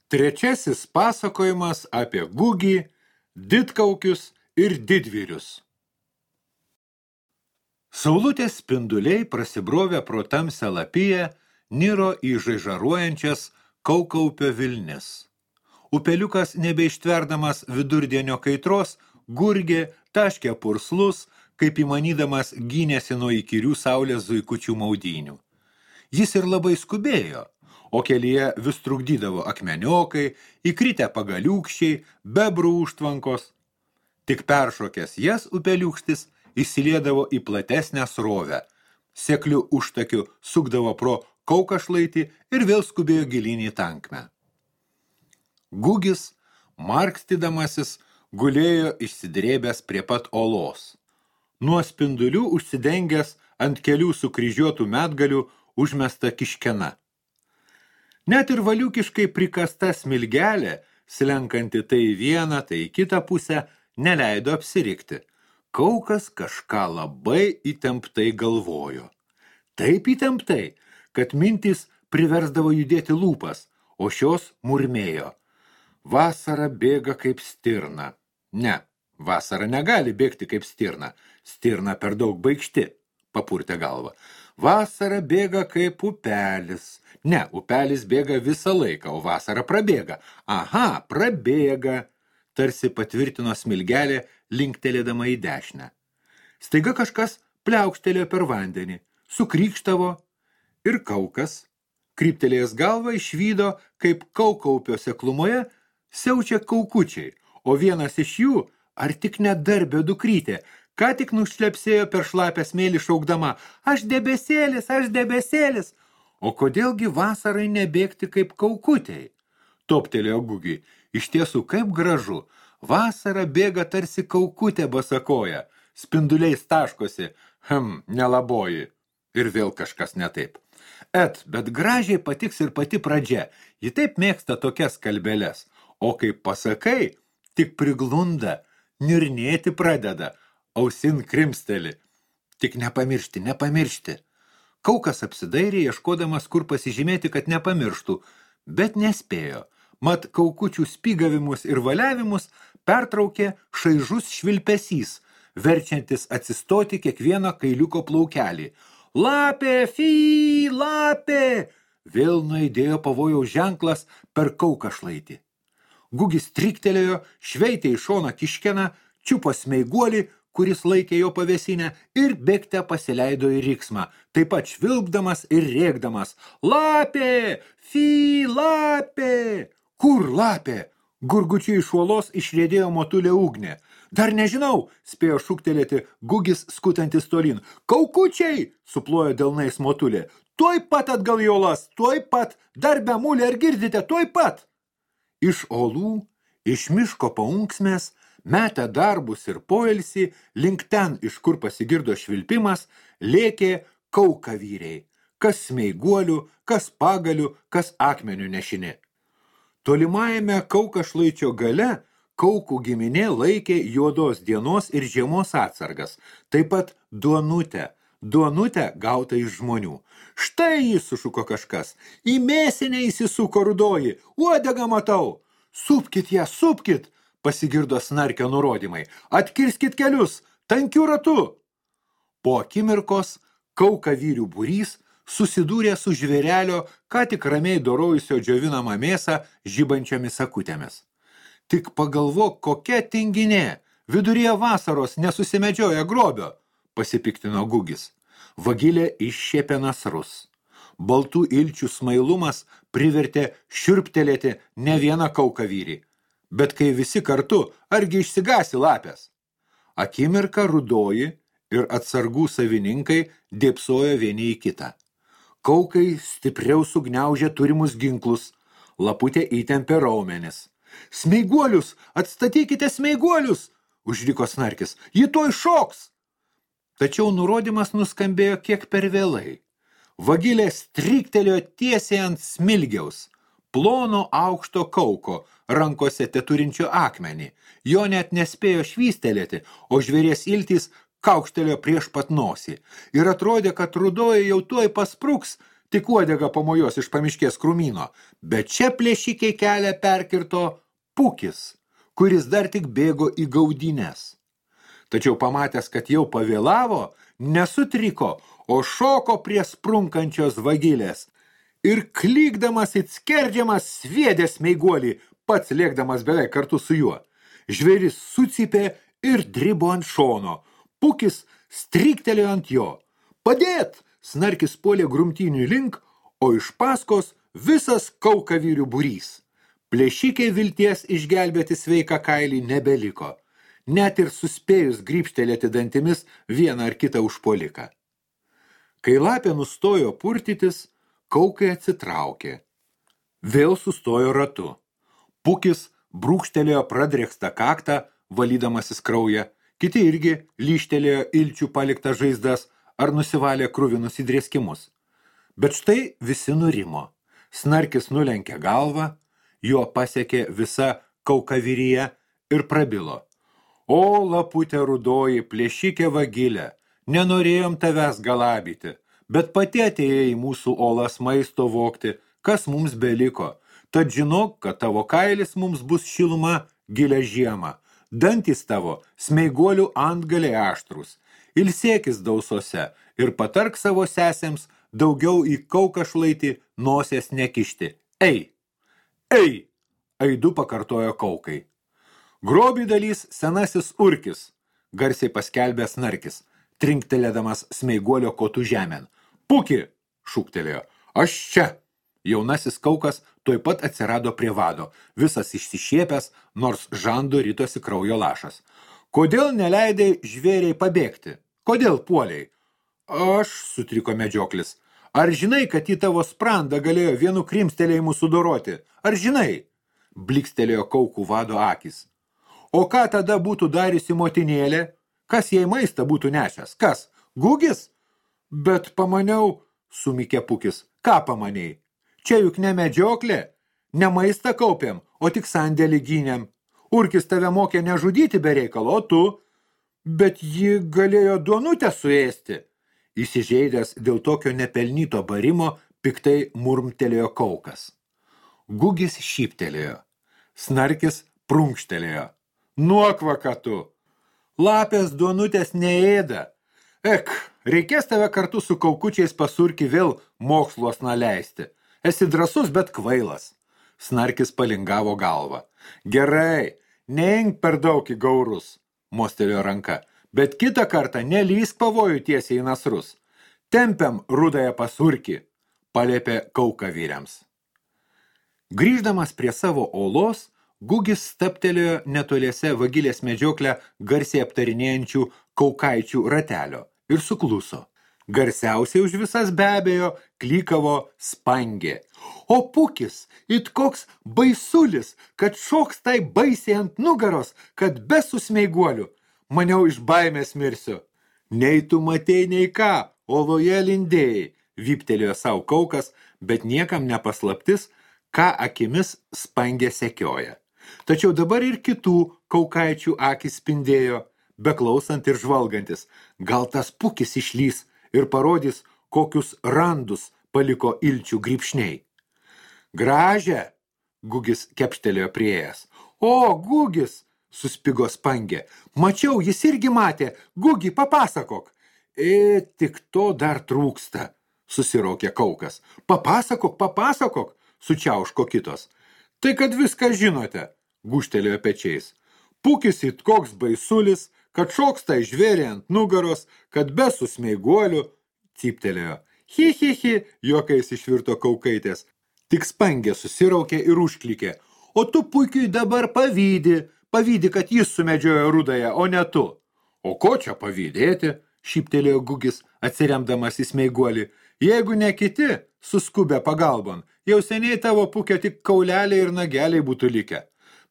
Trečiasis pasakojimas apie Gugį, didkaukius ir didvyrius. Saulutės spinduliai prasibrovę pro tamsią lapiją niro į žaižaruojančias Kaukaupio vilnis. Upeliukas nebeištverdamas vidurdienio kaitros gurgė, taškė purslus, kaip įmanydamas gynėsi nuo įkyrių saulės zuikučių maudynių. Jis ir labai skubėjo, o kelyje vis trukdydavo akmeniokai, įkritę pagaliukščiai, bebrų užtvankos. Tik peršokęs jas upeliukštis įsiliedavo į platesnę srovę, sekliu užtakiu sukdavo pro Kaukašlaitį ir vėl skubėjo gilyn į tankmę. Gugis, markstydamasis, gulėjo išsidrėbęs prie pat olos. Nuo spindulių užsidengęs ant kelių sukryžiuotų medgalių užmesta kiškena. Net ir valiukiškai prikasta smilgelė, slenkanti tai į vieną, tai į kitą pusę, neleido apsirikti. Kaukas kažką labai įtemptai galvojo. Taip įtemptai, kad mintys priversdavo judėti lūpas, o šios murmėjo. Vasara bėga kaip stirna. Ne, vasara negali bėgti kaip stirna. Stirna per daug baikšti, papurtė galvą. Vasara bėga kaip upelis. Ne, upelis bėga visą laiką, o vasara prabėga. Aha, prabėga, tarsi patvirtino smilgelė, linktelėdama į dešinę. Staiga kažkas pliaukštelėjo per vandenį, sukrykštavo ir Kaukas, kryptelėjęs galvą, išvydo, kaip Kaukaupio seklumoje siaučia kaukučiai, o vienas iš jų, ar tik nedarbio dukrytė, ką tik nušlepsėjo per šlapę smėlį šaukdama, aš debesėlis, o kodėlgi vasarai nebėgti kaip kaukutei? Toptelėjo Gugiui, iš tiesų kaip gražu, vasara bėga tarsi kaukutė basakoja, spinduliais taškosi, nelaboji, ir vėl kažkas ne taip. Bet gražiai patiks ir pati pradžia, ji taip mėgsta tokias kalbeles, o kaip pasakai, tik priglunda, nirnėti pradeda, ausin krimsteli. Tik nepamiršti. Kaukas apsidairė, ieškodamas, kur pasižymėti, kad nepamirštų, bet nespėjo. Mat kaukučių spygavimus ir valiavimus pertraukė šaižus švilpesys, verčiantis atsistoti kiekvieną kailiuko plaukelį. Lapė, fy, lapė! Vėl nuaidėjo pavojaus ženklas per Kaukašlaitį. Gugis triktelėjo, šveitė į šoną kiškeną, čiupo smeiguolį, kuris laikė jo pavėsinę, ir bėgte pasileido į riksmą, taip pat švilpdamas ir rėkdamas. Lapė! Fy, lapė! Kur lapė? Gurgučiai iš uolos išriedėjo motulė ugnė. Dar nežinau, spėjo šūktelėti Gugis skutantis tolyn. Kaukučiai! Suplojo delnais motulė. Tuoj pat atgal į uolas, tuoj pat! Dar be mulė, ar girdite, tuoj pat! Iš olų, iš miško paunksmės, metę darbus ir poilsį, link ten, iš kur pasigirdo švilpimas, lėkė kaukavyriai, kas smeiguolių, kas pagalių, kas akmenių nešini. Tolimajame Kaukašlaičio gale Kaukų giminė laikė juodos dienos ir žiemos atsargas, taip pat duonutę gautą iš žmonių. Štai jis, sušuko kažkas, į mėsinę įsisuko rudoji, uodegą matau. Supkit ją, supkit, pasigirdo snarkio nurodymai, atkirskit kelius, tankiu ratu. Po akimirkos kaukavyrių būrys susidūrė su žvėrelio, ką tik ramiai dorojusio džiovinamą mėsą žibančiomis akutėmis. Tik pagalvok, kokia tinginė, viduryje vasaros nesusimedžioja grobio, pasipiktino Gugis. Vagilė iššiepė nasrus. Baltų ilčių smailumas privertė šiurptelėti ne vieną kaukavyrį. Bet kai visi kartu, argi išsigasi lapės? Akimirką rudoji ir atsargų savininkai dėpsojo vieni į kitą. Kaukai stipriau sugniaužė turimus ginklus, laputė įtempė raumenis. Smeiguolius, atstatykite smeiguolius, užriko snarkis, ji tuoj šoks. Tačiau nurodymas nuskambėjo kiek per vėlai. Vagilė stryktelėjo tiesiai ant smilgiaus, plono aukšto kauko, rankose teturinčio akmenį. Jo net nespėjo švystelėti, o žvėries iltys kaukštelėjo prieš pat nosį. Ir atrodė, kad rudoji jau tuoj paspruks, tik uodega pamojos iš pamiškės krūmyno, bet čia plėšikiai kelią perkirto Pukis, kuris dar tik bėgo į gaudynės. Tačiau pamatęs, kad jau pavėlavo, nesutriko, o šoko prie sprunkančios vagilės ir klykdamas it skerdžiamas sviedė smeiguolį, pats lėkdamas beveik kartu su juo. Žvėris sucypė ir dribo ant šono. Pukis stryktelėjo ant jo. Padėt! Snarkis puolė grumtynių link, o iš paskos visas kaukavyrių būrys. Plėšikiai vilties išgelbėti sveiką kailį nebeliko, net ir suspėjus grybštelėti dantimis vieną ar kitą užpuoliką. Kai lapė nustojo purtytis, kaukai atsitraukė. Vėl sustojo ratu. Pukis brūkštelėjo pradrėkstą kaktą, valydamasis kraują, kiti irgi lyštelėjo ilčių paliktą žaizdas ar nusivalė kruvinus įdrėskimus. Bet štai visi nurimo. Snarkis nulenkė galvą, jo pasiekė visa kaukavyryje ir prabilo. O, laputė rudoji, plėšikė vagilė, nenorėjom tavęs galabyti, bet pati atėjai į mūsų olas maisto vokti, kas mums beliko. Tad žinok, kad tavo kailis mums bus šiluma gilią žiemą. Dantys tavo smeiguolių antgaliai aštrus. Ilsėkis dausose ir patark savo sesėms daugiau į kaukašlaitį nosės nekišti. Ei! Ei! Aidu pakartojo kaukai. Grobį dalys senasis Urkis, garsiai paskelbė Snarkis, trinktelėdamas smeiguolio kotų žemėn. Puki! Šūktelėjo. Aš čia! Jaunasis kaukas tuoj pat atsirado prie vado, visas išsišiepęs, nors žando ritosi kraujo lašas. Kodėl neleidai žvėriai pabėgti? Kodėl puoliai? Aš, sutriko medžioklis. Ar žinai, kad į tavo sprandą galėjo vienu krimstelėjimu sudoroti? Ar žinai? Blikstelėjo kaukų vado akis. O ką tada būtų dariusi motinėlė? Kas jai maistą būtų nešęs? Kas? Gugis? Bet pamaniau, sumikė Pukis. Ką pamanei? Čia juk ne medžioklė, ne maistą kaupiam, o tik sandėlį gynėm. Urkis tave mokė nežudyti be reikalo, o tu? Bet ji galėjo duonutę suėsti. Įsižeidęs dėl tokio nepelnyto barimo, piktai murmtelėjo kaukas. Gugis šyptelėjo. Snarkis prunkštelėjo. Nuokvaka tu! Lapės duonutės neėda. Ek, reikės tave kartu su kaukučiais pasurki vėl moksluos naleisti. Esi drąsus, bet kvailas. Snarkis palingavo galvą. Gerai, neink per daug į gaurus, mostelėjo ranka, bet kitą kartą nelysk pavojų tiesiai į nasrus. Tempiam rudąją pasurkį, paliepė kaukavyriams. Grįždamas prie savo olos, Gugis staptelėjo netoliese vagilės medžioklę garsiai aptarinėjančių kaukaičių ratelio ir sukluso. Garsiausiai už visas be abejo klykavo Spangė. O Pukis, it koks baisulis, kad šoks tai baisiai ant nugaros, kad be susmeiguolių. Maniau iš baimės mirsiu. Nei tu matei, nei ką, oloje lindėjai, vyptelėjo savo kaukas, bet niekam nepaslaptis, ką akimis Spangė sekioja. Tačiau dabar ir kitų kaukaičių akis spindėjo, beklausant ir žvalgantis. Gal tas Pukis išlys ir parodys, kokius randus paliko ilčių grybšniai. Gražią, Gugis kepštelėjo priėjęs. O, Gugis, suspigo Spangė. Mačiau, jis irgi matė. Gugi, papasakok. Tik to dar trūksta, susiraukė kaukas. Papasakok, sučiauško kitos. Tai kad viską žinote, gūžtelėjo pečiais. Pukis it koks baisulis, kad šoks tai žvėrė ant nugaros, kad be susmeiguolių, cyptelėjo. Hi, juokais išvirto kaukaitės. Tik Spangė susiraukė ir užklikė. O tu Pukiui dabar pavydi, kad jis sumedžiojo rudąją, o ne tu. O ko čia pavydėti, šyptelėjo Gugis, atsiremdamas į smeiguolį. Jeigu ne kiti, suskubę pagalbon, jau seniai tavo Pukio tik kauleliai ir nageliai būtų likę.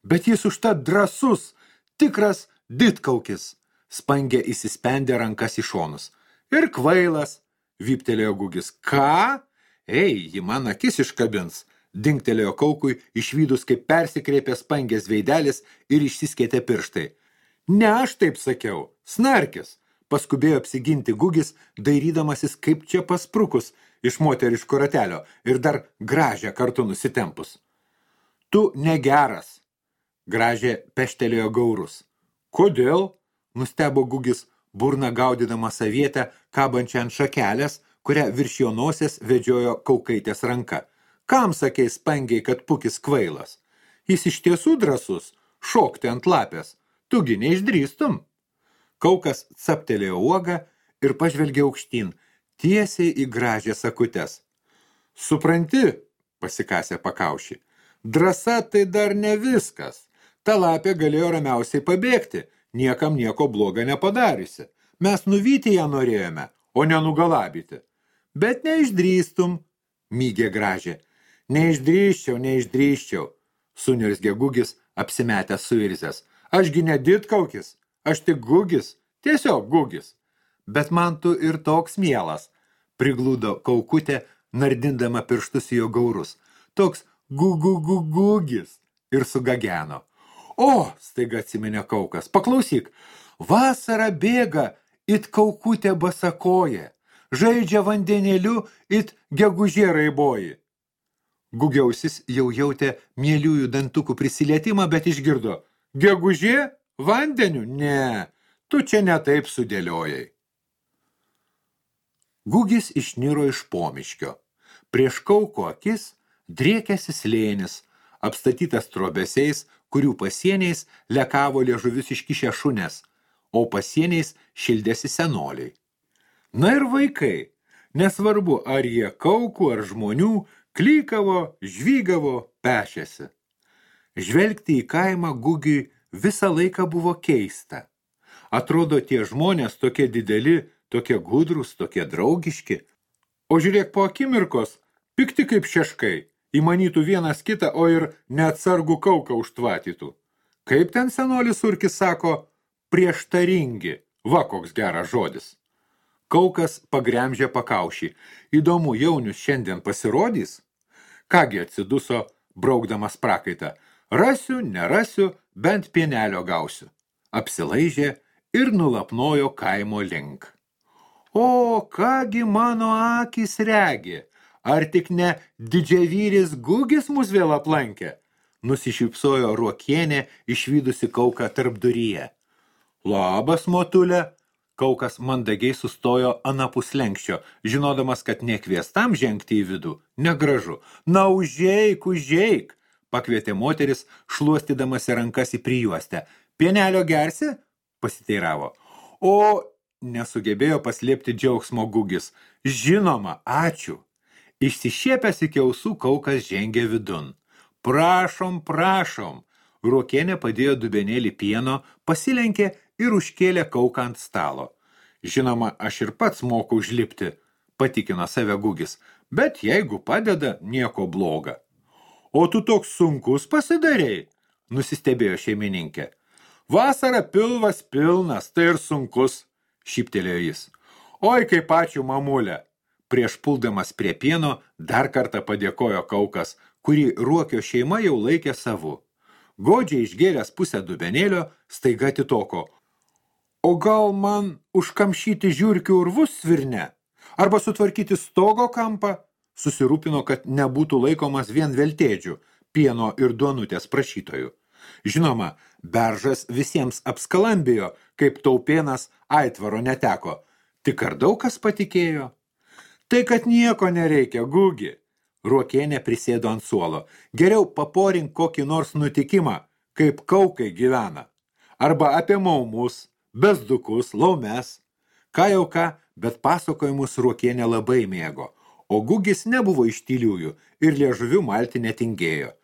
Bet jis užtat drąsus, tikras didkaukis. Spangė įsispendė rankas į šonus. Ir kvailas, vyptelėjo Gugis. Ką? Ei, ji man akis iškabins, dingtelėjo kaukui, išvydus, kaip persikreipė Spangės veidelis ir išsiskėtė pirštai. Ne aš taip sakiau, Snarkis, paskubėjo apsiginti Gugis, dairydamasis kaip čia pasprukus, iš moteriško ratelio ir dar Gražią kartu nusitempus. Tu negeras, Gražė peštelėjo gaurus. Kodėl? Nustebo Gugis, burna gaudydama savietę, kabančią ant šakelės, kurią virš jo nosės vedžiojo Kaukaitės ranka. Kam sakei spangiai, kad Pukis kvailas? Jis iš tiesų drąsus, šokti ant lapės. Tugi neišdrįstum. Kaukas captelėjo uogą ir pažvelgė aukštyn, tiesiai į Gražią sakutes. Supranti, pasikasė pakaušį, drąsa tai dar ne viskas. Ta lapė galėjo ramiausiai pabėgti, niekam nieko bloga nepadariusi. Mes nuvyti ją norėjome, o nenugalabyti. Bet neišdrįstum, mygė Gražė. Neišdrįsčiau, suniurzgė Gugis, apsimetęs suirzęs. Ašgi ne didkaukis, aš tik Gugis, tiesiog Gugis. Bet man tu ir toks mielas, priglūdo Kaukutė, nardindama pirštus į jo gaurus. Toks Gugis ir sugageno. O, staiga atsiminė Kaukas, paklausyk, vasara bėga, it Kaukutė basakoja, žaidžia vandenėliu, it gegužė raiboji. Gugiausis jau jautė mieliųjų dantukų prisilietimą, bet išgirdo. Gegužė? Vandeniu? Ne, tu čia ne taip sudėliojai. Gugis išniro iš pomiškio. Prieš Kauko akis driekėsi slėnis, apstatytas trobesiais, kurių pasieniais lekavo liežuvius iškišę šunės, o pasieniais šildėsi senoliai. Na ir vaikai, nesvarbu, ar jie Kaukų ar žmonių, klykavo, žvygavo, pešėsi. Žvelgti į kaimą Gugiui visą laiką buvo keista. Atrodo, tie žmonės tokie dideli, tokie gudrūs, tokie draugiški. O žiūrėk po akimirkos, pikti kaip šeškai, įmanytų vienas kitą, o ir neatsargų Kauką užtvatytų. Kaip ten senolis Surkis sako, prieštaringi, va koks geras žodis. Kaukas pagremžė pakaušį. Įdomu, jaunius šiandien pasirodys? Kągi atsiduso, braukdamas prakaitą. Rasiu, nerasiu, bent pienelio gausiu. Apsilaižė ir nulapnojo kaimo link. O, kągi mano akys regi, ar tik ne didžiavyris Gugis mus vėl aplankė? Nusišypsojo Ruokienė, išvydusi Kauką tarpduryje. Labas, motulė. Kaukas mandagiai sustojo anapus lenkščio, žinodamas, kad nekviestam žengti į vidų, negražu. Na, užeik, pakvietė moteris, šluostydamasi rankas į prijuostę. Pienelio gersi? Pasiteiravo. O, nesugebėjo paslėpti džiaugsmo Gugis. Žinoma, ačiū. Išsišiepęs iki ausų Kaukas žengė vidun. Prašom. Ruokienė padėjo dubenėlį pieno, pasilenkė ir užkėlė Kauką ant stalo. Žinoma, aš ir pats moku užlipti, patikino save Gugis, bet jeigu padeda, nieko bloga. O tu toks sunkus pasidarei, nusistebėjo šeimininkė. Vasara pilvas pilnas, tai ir sunkus, šyptelėjo jis. Oi, kaip ačiū, mamulė. Prieš puldamas prie pieno dar kartą padėkojo Kaukas, kurį Ruokio šeima jau laikė savu. Godžiai išgėręs pusę dubenėlio, staiga atitoko. O gal man užkamšyti žiurkių urvus svirne? Arba sutvarkyti stogo kampą? Susirūpino, kad nebūtų laikomas vien veltėdžių, pieno ir duonutės prašytojų. Žinoma, beržas visiems apskalambijo, kaip taupėnas aitvaro neteko. Tik ar daug kas patikėjo? Tai, kad nieko nereikia, Gugi. Ruokienė prisėdo ant suolo. Geriau paporink kokį nors nutikimą, kaip Kaukai gyvena. Arba apie maumus, bezdukus, laumes. Ką jau ką, bet pasakojimus Ruokienė labai mėgo. O Gugis nebuvo iš tyliųjų ir liežuvių malti netingėjo.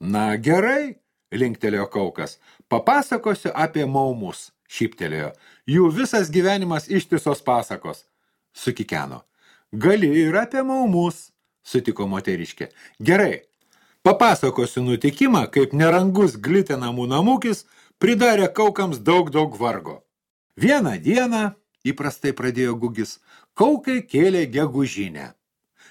Na gerai, linktelėjo Kaukas. Papasakosiu apie maumus, šyptelėjo. Jų visas gyvenimas ištisos pasakos. Sukikeno. Gali ir apie maumus, sutiko moteriškė. Gerai, papasakosiu nutikimą, kaip nerangus glitenamų namukis pridarė Kaukams daug vargo. Vieną dieną, įprastai pradėjo Gugis, Kaukai kėlė gegužinę.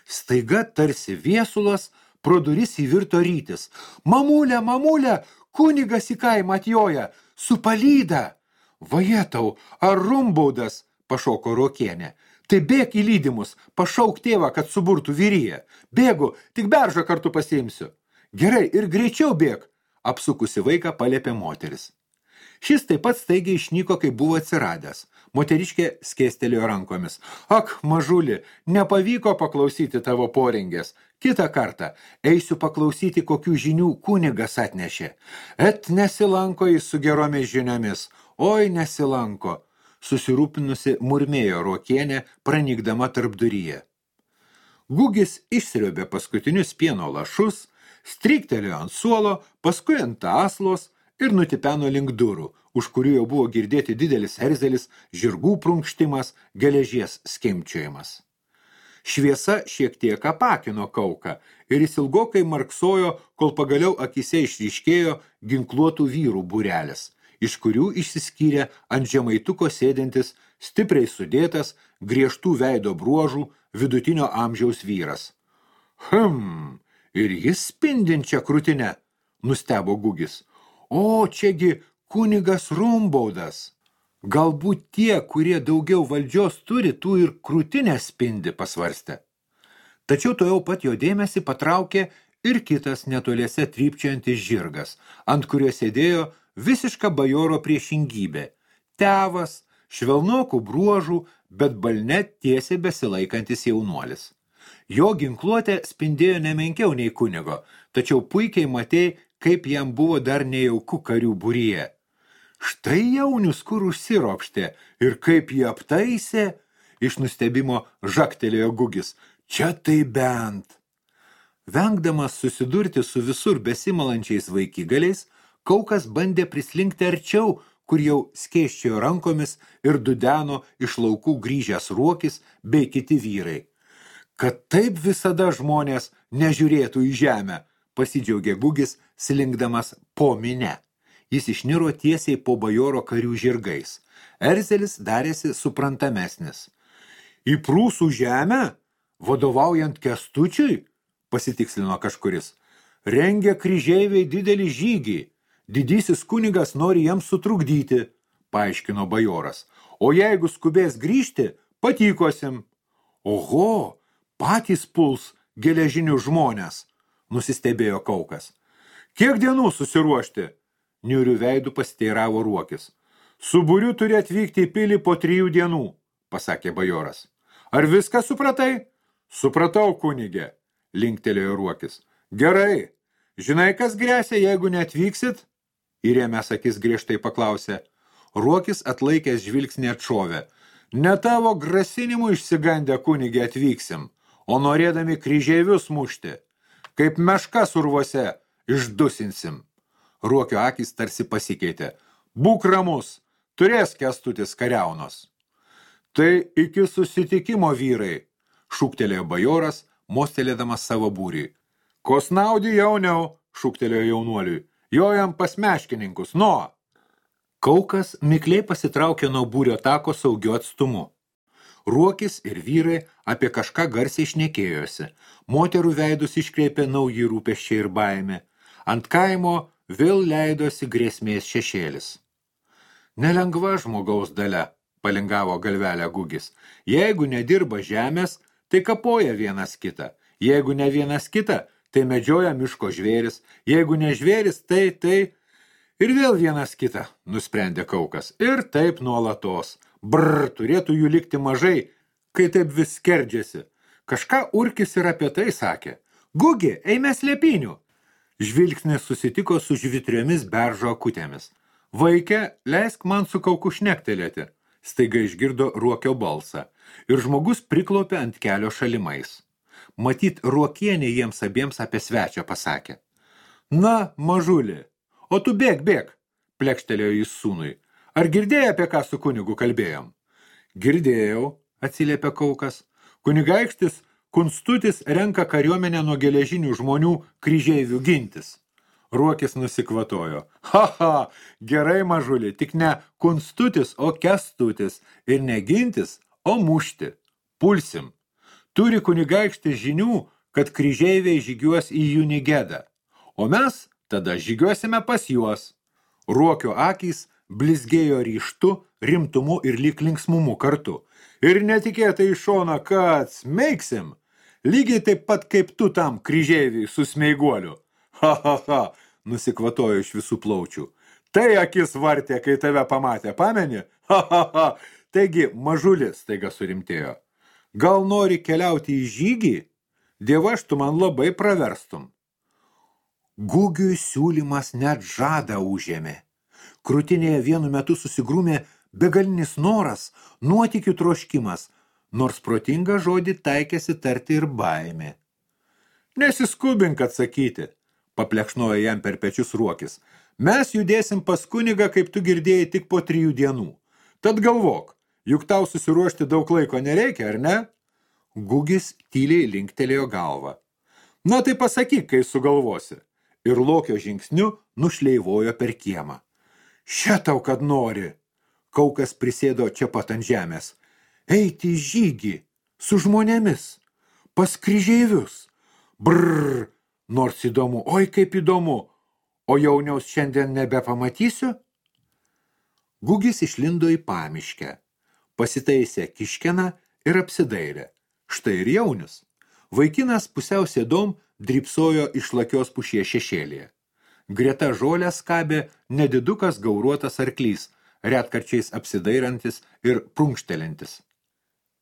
Staiga tarsi viesulas pro duris įvirto rytis. Mamulė, kunigas į kaimą atjoja, su palyda. Vajetau, ar rumbaudas, pašoko Ruokienė. Tai bėk į lydimus, pašauk tėvą, kad suburtų vyriją. Bėgu, tik beržą kartu pasiimsiu. Gerai, ir greičiau bėk, apsukusi vaiką paliepė moteris. Šis taip pat staigiai išnyko, kai buvo atsiradęs. Moteriškė skėstelėjo rankomis. Ak, mažuli, nepavyko paklausyti tavo porengės. Kitą kartą eisiu paklausyti, kokių žinių kunigas atnešė. Et nesilanko jis su geromis žiniomis. Oi, nesilanko. Susirūpinusi murmėjo Ruokienė, pranykdama tarpduryje. Gugis išsriobė paskutinius pieno lašus, stryktelėjo ant suolo, paskui ant aslos ir nutipeno link durų, už kurių jau buvo girdėti didelis erzelis, žirgų prunkštimas, geležies skimčiojimas. Šviesa šiek tiek apakino Kauką ir jis ilgokai marksojo, kol pagaliau akise išryškėjo ginkluotų vyrų būrelis, iš kurių išsiskyrė ant žemaituko sėdintis, stipriai sudėtas, griežtų veido bruožų, vidutinio amžiaus vyras. Ir jis spindinčia krūtinę, nustebo Gugis. O, čiagi kunigas Rumbaudas. Galbūt tie, kurie daugiau valdžios turi, tų ir krūtinę spindi, pasvarstė. Tačiau to jau pat jo dėmesį patraukė ir kitas netoliese trypčiantis žirgas, ant kurio sėdėjo visiška bajoro priešingybė. Tevas, švelnokų bruožų, bet balne tiesiai besilaikantis jaunuolis. Jo ginkluotė spindėjo nemenkiau nei kunigo, tačiau puikiai matei, kaip jam buvo dar nejauku karių būryje. Štai jaunius, kur užsiropštė ir kaip jį aptaisė, iš nustebimo žaktelėjo Gugis. Čia tai bent. Vengdamas susidurti su visur besimalančiais vaikigaliais, Kaukas bandė prislinkti arčiau, kur jau skėsčiojo rankomis ir dudeno iš laukų grįžęs Ruokis bei kiti vyrai. Kad taip visada žmonės nežiūrėtų į žemę, pasidžiaugė Gugis, slinkdamas po mine. Jis išniro tiesiai po bajoro karių žirgais. Erzelis darėsi suprantamesnis. Į prūsų žemę, vadovaujant Kęstučiui, pasitikslino kažkuris, rengia kryžeiviai didelį žygį. Didysis kunigas nori jiems sutrukdyti, paaiškino bajoras. O jeigu skubės grįžti, patykosim. Oho, patys puls geležinių žmonės, nusistebėjo Kaukas. Kiek dienų susiruošti? Niurių veidų pasiteiravo Ruokis. Su būriu turi atvykti į pilį po 3 dienų, pasakė bajoras. Ar viską supratai? Supratau, kunigė, linktelėjo Ruokis. Gerai, žinai, kas gresia, jeigu neatvyksit? Įrėmęs akis griežtai paklausė. Ruokis atlaikęs žvilgsnį atšovė. Ne tavo grasinimų išsigandę kunigė atvyksim, o norėdami kryžeivius mušti. Kaip meškas urvuose išdusinsim. Ruokio akis tarsi pasikeitė. Būk ramus, turės Kęstutis kariaunos. Tai iki susitikimo vyrai, šūktelėjo bajoras, mostelėdamas savo būrį. Kosnaudį jauniau, šūktelėjo jaunuoliui. Jojam pas meškininkus, nuo. Kaukas mikliai pasitraukė nuo būrio tako saugiu atstumu. Ruokis ir vyrai apie kažką garsiai šnekėjosi. Moterų veidus iškreipė nauji rūpesčiai ir baimė. Ant kaimo vėl leidosi grėsmės šešėlis. Nelengva žmogaus dalia, palingavo galvelę Gugis. Jeigu nedirba žemės, tai kapoja vienas kitą. Jeigu ne vienas kitą, tai medžioja miško žvėris. Jeigu ne žvėris, tai ir vėl vienas kitą, nusprendė Kaukas. Ir taip nuolatos. Turėtų jų likti mažai, kai taip vis skerdžiasi. Kažką Urkis ir apie tai sakė. Gugi, eime slėpinių. Žvilgsnis susitiko su žvitriomis beržo akutėmis. Vaike, leisk man su Kauku šnektelėti. Staiga išgirdo Ruokio balsą. Ir žmogus priklaupė ant kelio šalimais. Matyt, Ruokienė jiems abiems apie svečią pasakė. Na, mažuli, o tu bėk, plekštelėjo jis sūnui. Ar girdėjai, apie ką su kunigu kalbėjom? Girdėjau, atsiliepė Kaukas. Kunigaikštis Kunstutis renka kariuomenę nuo geležinių žmonių kryžeivių gintis. Ruokis nusikvatojo. Ha, gerai mažuli, tik ne Kunstutis, o Kęstutis. Ir ne gintis, o mušti. Pulsim. Turi kunigaikštis žinių, kad kryžeiviai žygiuos į Junigedą. O mes tada žygiuosime pas juos. Ruokio akys blizgėjo ryžtu, rimtumu ir lyg linksmumu kartu. ir netikėtai iš šono, kad smeigsim, lygiai taip pat kaip tu tam kryžeiviui su smeiguoliu. Ha, ha, ha, nusikvatojo iš visų plaučių. Tai akis vartė, kai tave pamatė, pameni? Ha, ha, ha. Taigi, mažulis staiga surimtėjo. Gal nori keliauti į žygį? Dievaž, tu man labai praverstum. Gugiui siūlymas net žadą užėmė. Krūtinėje vienu metu susigrūmė begalinis noras, nuotykių troškimas, nors protingą žodį taikėsi tarti ir baimė. Nesiskubink atsakyti, paplekšnojo jam per pečius Ruokis. Mes judėsim pas kunigą, kaip tu girdėjai, tik po 3 dienų. Tad galvok, juk tau susiruošti daug laiko nereikia, ar ne? Gugis tyliai linktelėjo galvą. Na tai pasakyk, kai sugalvosi. Ir Lokio žingsniu nušleivojo per kiemą. Še tau, kad nori. Kaukas prisėdo čia pat ant žemės. Eiti į žygį, su žmonėmis, pas kryžeivius. Brrr, nors įdomu, oi kaip įdomu. O jauniaus šiandien nebepamatysiu? Gugis išlindo į pamiškę, pasitaisė kiškeną ir apsidairė. Štai ir jaunius. Vaikinas pusiau sėdom drybsojo iš lakios pušies šešėlėje. Greta žolę skabė nedidukas gauruotas arklys, retkarčiais apsidairantis ir prunkštelintis.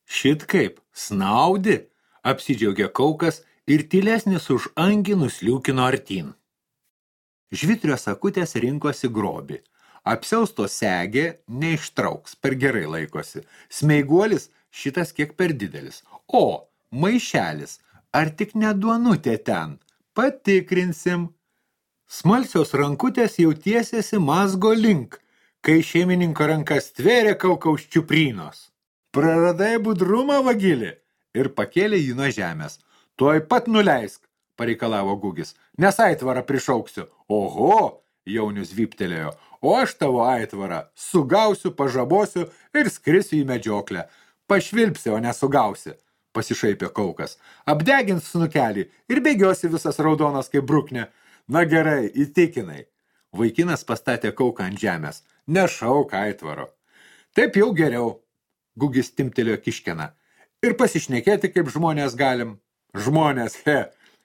Šit kaip, snaudi, apsidžiaugė Kaukas ir tylesnis už angį nusliūkino artyn. Žvitrio sakutės rinkosi grobį. Apsiausto segė neištrauks, per gerai laikosi. Smeiguolis šitas kiek per didelis. O, maišelis, ar tik ne duonutė ten? Patikrinsim. Smalsios rankutės jau tiesėsi mazgo link, kai šeimininko rankas tvėrė Kaukaus čiuprynos. Praradai budrumą, vagilį? Ir pakėlė jį nuo žemės. Tuoj pat nuleisk, pareikalavo Gugis, nes aitvarą prišauksiu. Oho, jaunius vyptelėjo, o aš tavo aitvarą sugausiu, pažabosiu ir skrisiu į medžioklę. Pašvilpsi, o nesugausi, pasišaipė Kaukas. Apdegins snukelį ir bėgiosi visas raudonas kaip bruknė. Na gerai, įtikinai. Vaikinas pastatė Kauką ant žemės. Nešauk aitvaro. Taip jau geriau. Gugis timtelėjo kiškeną. Ir pasišnekėti, kaip žmonės galim. Žmonės,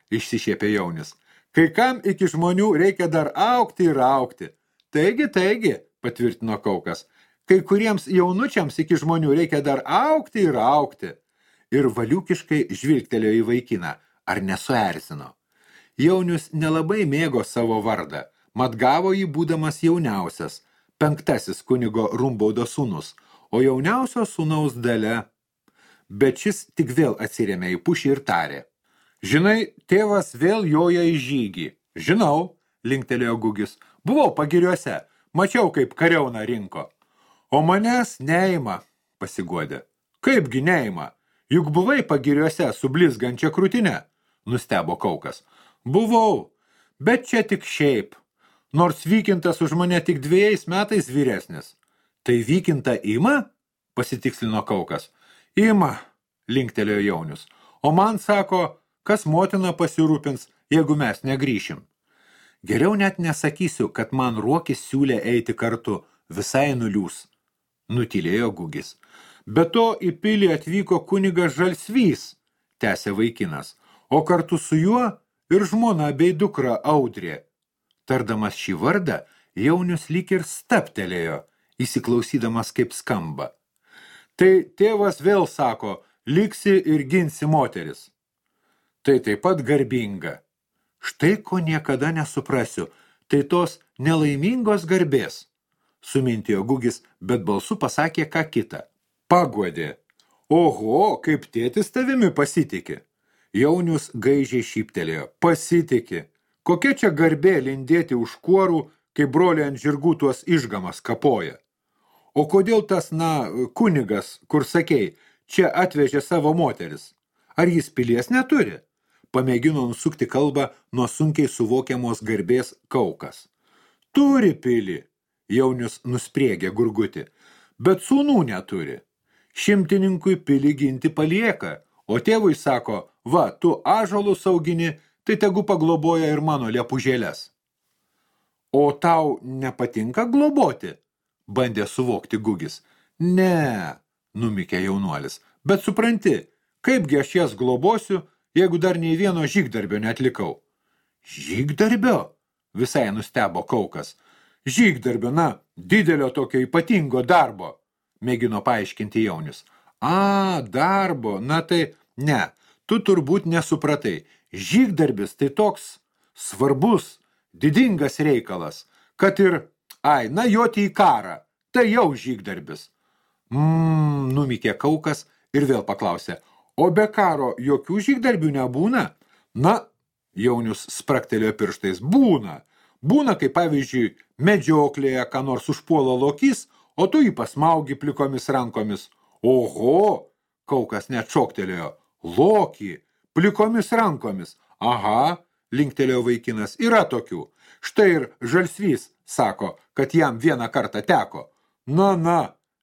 išsišiepė jaunis. Kai kam iki žmonių reikia dar augti ir augti. Taigi, patvirtino Kaukas. Kai kuriems jaunučiams iki žmonių reikia dar augti ir augti. Ir valiukiškai žvilgtelėjo į vaikiną. Ar nesuerzino? Jaunius nelabai mėgo savo vardą. Mat gavo jį būdamas jauniausias, 5 kunigo Rumbaudo sūnus, o jauniausio sūnaus Dalia. Bet šis tik vėl atsirėmė į pušį ir tarė. Žinai, tėvas vėl joja į žygį. Žinau, linktelėjo Gugis. Buvau pagiriuose, mačiau, kaip kariauna rinko. O manęs neima, pasiguodė. Kaipgi neima? Juk buvai pagiriuose su blizgančia krūtine, nustebo Kaukas. Buvau, bet čia tik šiaip. Nors Vykintas už mane tik 2 metais vyresnis. Tai Vykinta ima? Pasitikslino Kaukas. Ima, linktelėjo jaunius. O man sako, kas motina pasirūpins, jeigu mes negrįšim. Geriau net nesakysiu, kad man Ruokis siūlė eiti kartu, visai nuliūs. Nutylėjo Gugis. Be to į pilį atvyko kunigas Žalsvys, tęsė vaikinas, o kartu su juo ir žmona bei dukra Audrė. Tardamas šį vardą, jaunius lyg ir staptelėjo, įsiklausydamas kaip skamba. Tai tėvas vėl sako, liksi ir ginsi moteris. Tai taip pat garbinga. Štai ko niekada nesuprasiu, tai tos nelaimingos garbės. Sumintėjo Gugis, bet balsu pasakė ką kitą. Paguodė. Oho, kaip tėtis tavimi pasitiki. Jaunius gaižiai šyptelėjo. Pasitiki. Kokia čia garbė lindėti už kuorų, kai broliai ant žirgų tuos išgamas kapoja. O kodėl tas, kunigas, kur sakei, čia atvežė savo moteris? Ar jis pilies neturi? Pamėgino nusukti kalbą nuo sunkiai suvokiamos garbės Kaukas. Turi pilį, jaunius nuspriegė gurgutį, bet sūnų neturi. Šimtininkui pilį ginti palieka, o tėvui sako, va, tu ąžuolus augini, tai tegu pagloboja ir mano liepužėles. O tau nepatinka globoti? Bandė suvokti Gugis. Ne, numykė jaunuolis. Bet supranti, kaipgi aš jas globosiu, jeigu dar nei vieno žygdarbio neatlikau. Žygdarbio? Visai nustebo Kaukas. Žygdarbio, na, didelio tokio ypatingo darbo, mėgino paaiškinti jaunius. Darbo, na tai, ne, tu turbūt nesupratai. Žygdarbis tai toks svarbus, didingas reikalas, kad ir, joti į karą, tai jau žygdarbis. Numykė Kaukas ir vėl paklausė, o be karo jokių žygdarbių nebūna? Na, jaunius spraktelėjo pirštais, būna. Būna, kaip pavyzdžiui, medžioklėje, ką nors užpuola lokys, o tu jį pasmaugi plikomis rankomis. Oho, Kaukas net šoktelėjo, lokį, plikomis rankomis. Aha, linktelėjo vaikinas, yra tokių. Štai ir žalsvys sako, kad jam vieną kartą teko. Na,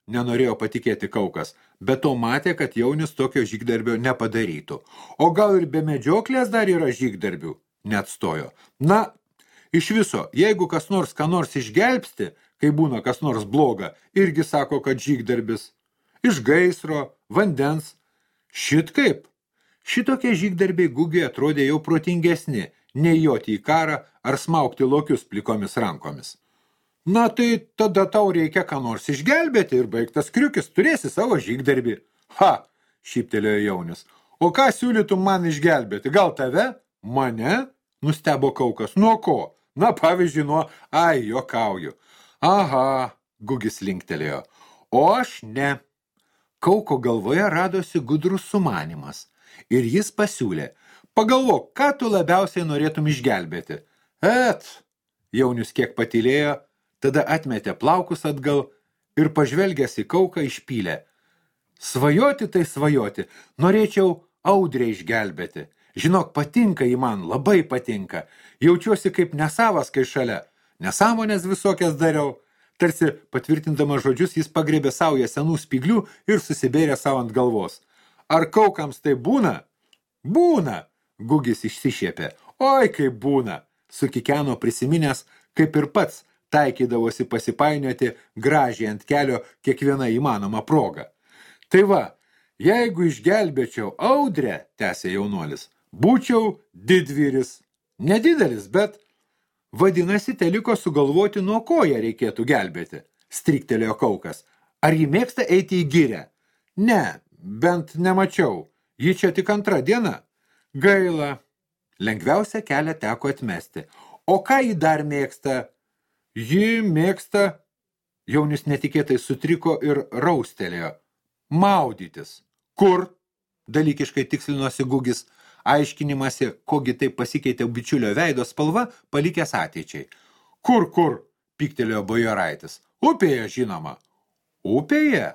nenorėjo patikėti Kaukas, bet to matė, kad jaunis tokio žygdarbio nepadarytų. O gal ir be medžioklės dar yra žygdarbių? Neatstojo. Na, iš viso, jeigu kas nors ką nors išgelbsti, kai būna kas nors bloga, irgi sako, kad žygdarbis. Iš gaisro, vandens. Šitkaip. Šitokie žygdarbiai Gugiui atrodė jau protingesni, nei joti į karą ar smaugti lokius plikomis rankomis. Na tai tada tau reikia ką nors išgelbėti ir baigtas kriukis, turėsi savo žygdarbį. Šyptelėjo jaunis. O ką siūlytum man išgelbėti? Gal tave? Mane? Nustebo Kaukas. Nuo ko? Na, pavyzdžiui, juokauju. Aha, Gugis linktelėjo. O aš ne. Kauko galvoje radosi gudrus sumanymas. Ir jis pasiūlė. Pagalvok, ką tu labiausiai norėtum išgelbėti? Jaunius kiek patylėjo, tada atmetė plaukus atgal ir pažvelgęs į Kauką išpylė. Svajoti tai svajoti, norėčiau audrę išgelbėti. Žinok, patinka į man, labai patinka. Jaučiuosi kaip nesavas, kai šalia. Nesąmonės visokias dariau. Tarsi patvirtindamas žodžius, jis pagriebė saują senų spyglių ir susibėrė savo ant galvos. Ar Kaukams tai būna? Būna, Gugis išsišiepė. Oi, kaip būna, sukikeno prisiminęs, kaip ir pats taikydavosi pasipainioti gražiai ant kelio kiekvieną įmanomą progą. Tai va, jeigu išgelbėčiau audrę, tęsė jaunuolis, būčiau didvyris. Nedidelis, bet vadinasi, teliko sugalvoti, nuo ko ją reikėtų gelbėti, striktelėjo Kaukas. Ar ji mėgsta eiti į girią? Ne, bent nemačiau. Ji čia tik antra diena. Gaila. Lengviausia kelią teko atmesti. O ką ji dar mėgsta? Ji mėgsta, jaunis netikėtai sutriko ir raustelėjo. Maudytis. Kur? Dalykiškai tikslinosi Gugis, aiškinimasi, kogi taip pasikeitė bičiulio veido spalva, palikęs ateičiai. Kur, pyktelėjo bajoraitis. Upėje, žinoma. Upėje?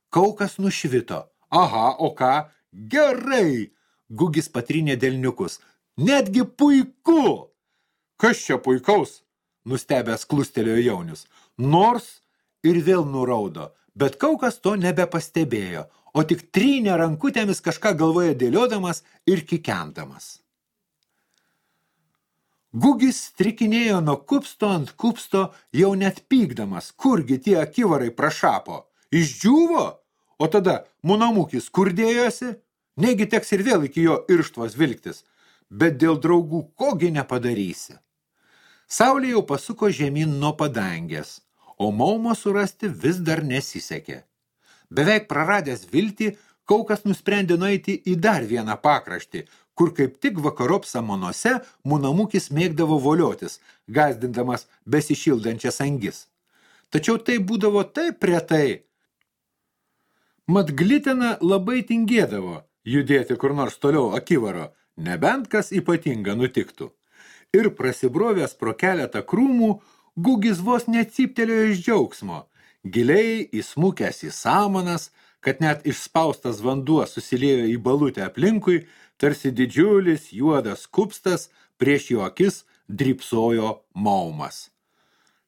Kaukas nušvito. Aha, o ką? Gerai. Gugis patrynė delniukus. Netgi puiku. Kas čia puikaus? Nustebęs klustelėjo jaunius. Nors ir vėl nuraudo, bet Kaukas to nebepastebėjo, o tik trynė rankutėmis kažką galvoje dėliodamas ir kikendamas. Gugis strikinėjo nuo kupsto ant kupsto, jau net pykdamas, kurgi tie akivarai prašapo. Išdžiūvo? O tada munamukis kurdėjosi? Negi teks ir vėl iki jo irštvos vilktis, bet dėl draugų kogi nepadarysi. Saulė jau pasuko žemyn nuo padangės, o maumo surasti vis dar nesisekė. Beveik praradęs viltį, Kaukas nusprendė nueiti į dar vieną pakraštį, kur kaip tik vakarop samonose munamukis mėgdavo voliotis, gąsdindamas besišildančias angis. Tačiau tai būdavo taip retai. Mat glitina labai tingėdavo judėti kur nors toliau akivaro, nebent kas ypatinga nutiktų. Ir prasibrovęs pro keletą krūmų, Gugis vos necyptelėjo iš džiaugsmo, giliai įsmukęs į samanas, kad net išspaustas vanduo susiliejo į balutę aplinkui, tarsi didžiulis juodas kupstas, prieš jo akis drybsojo maumas.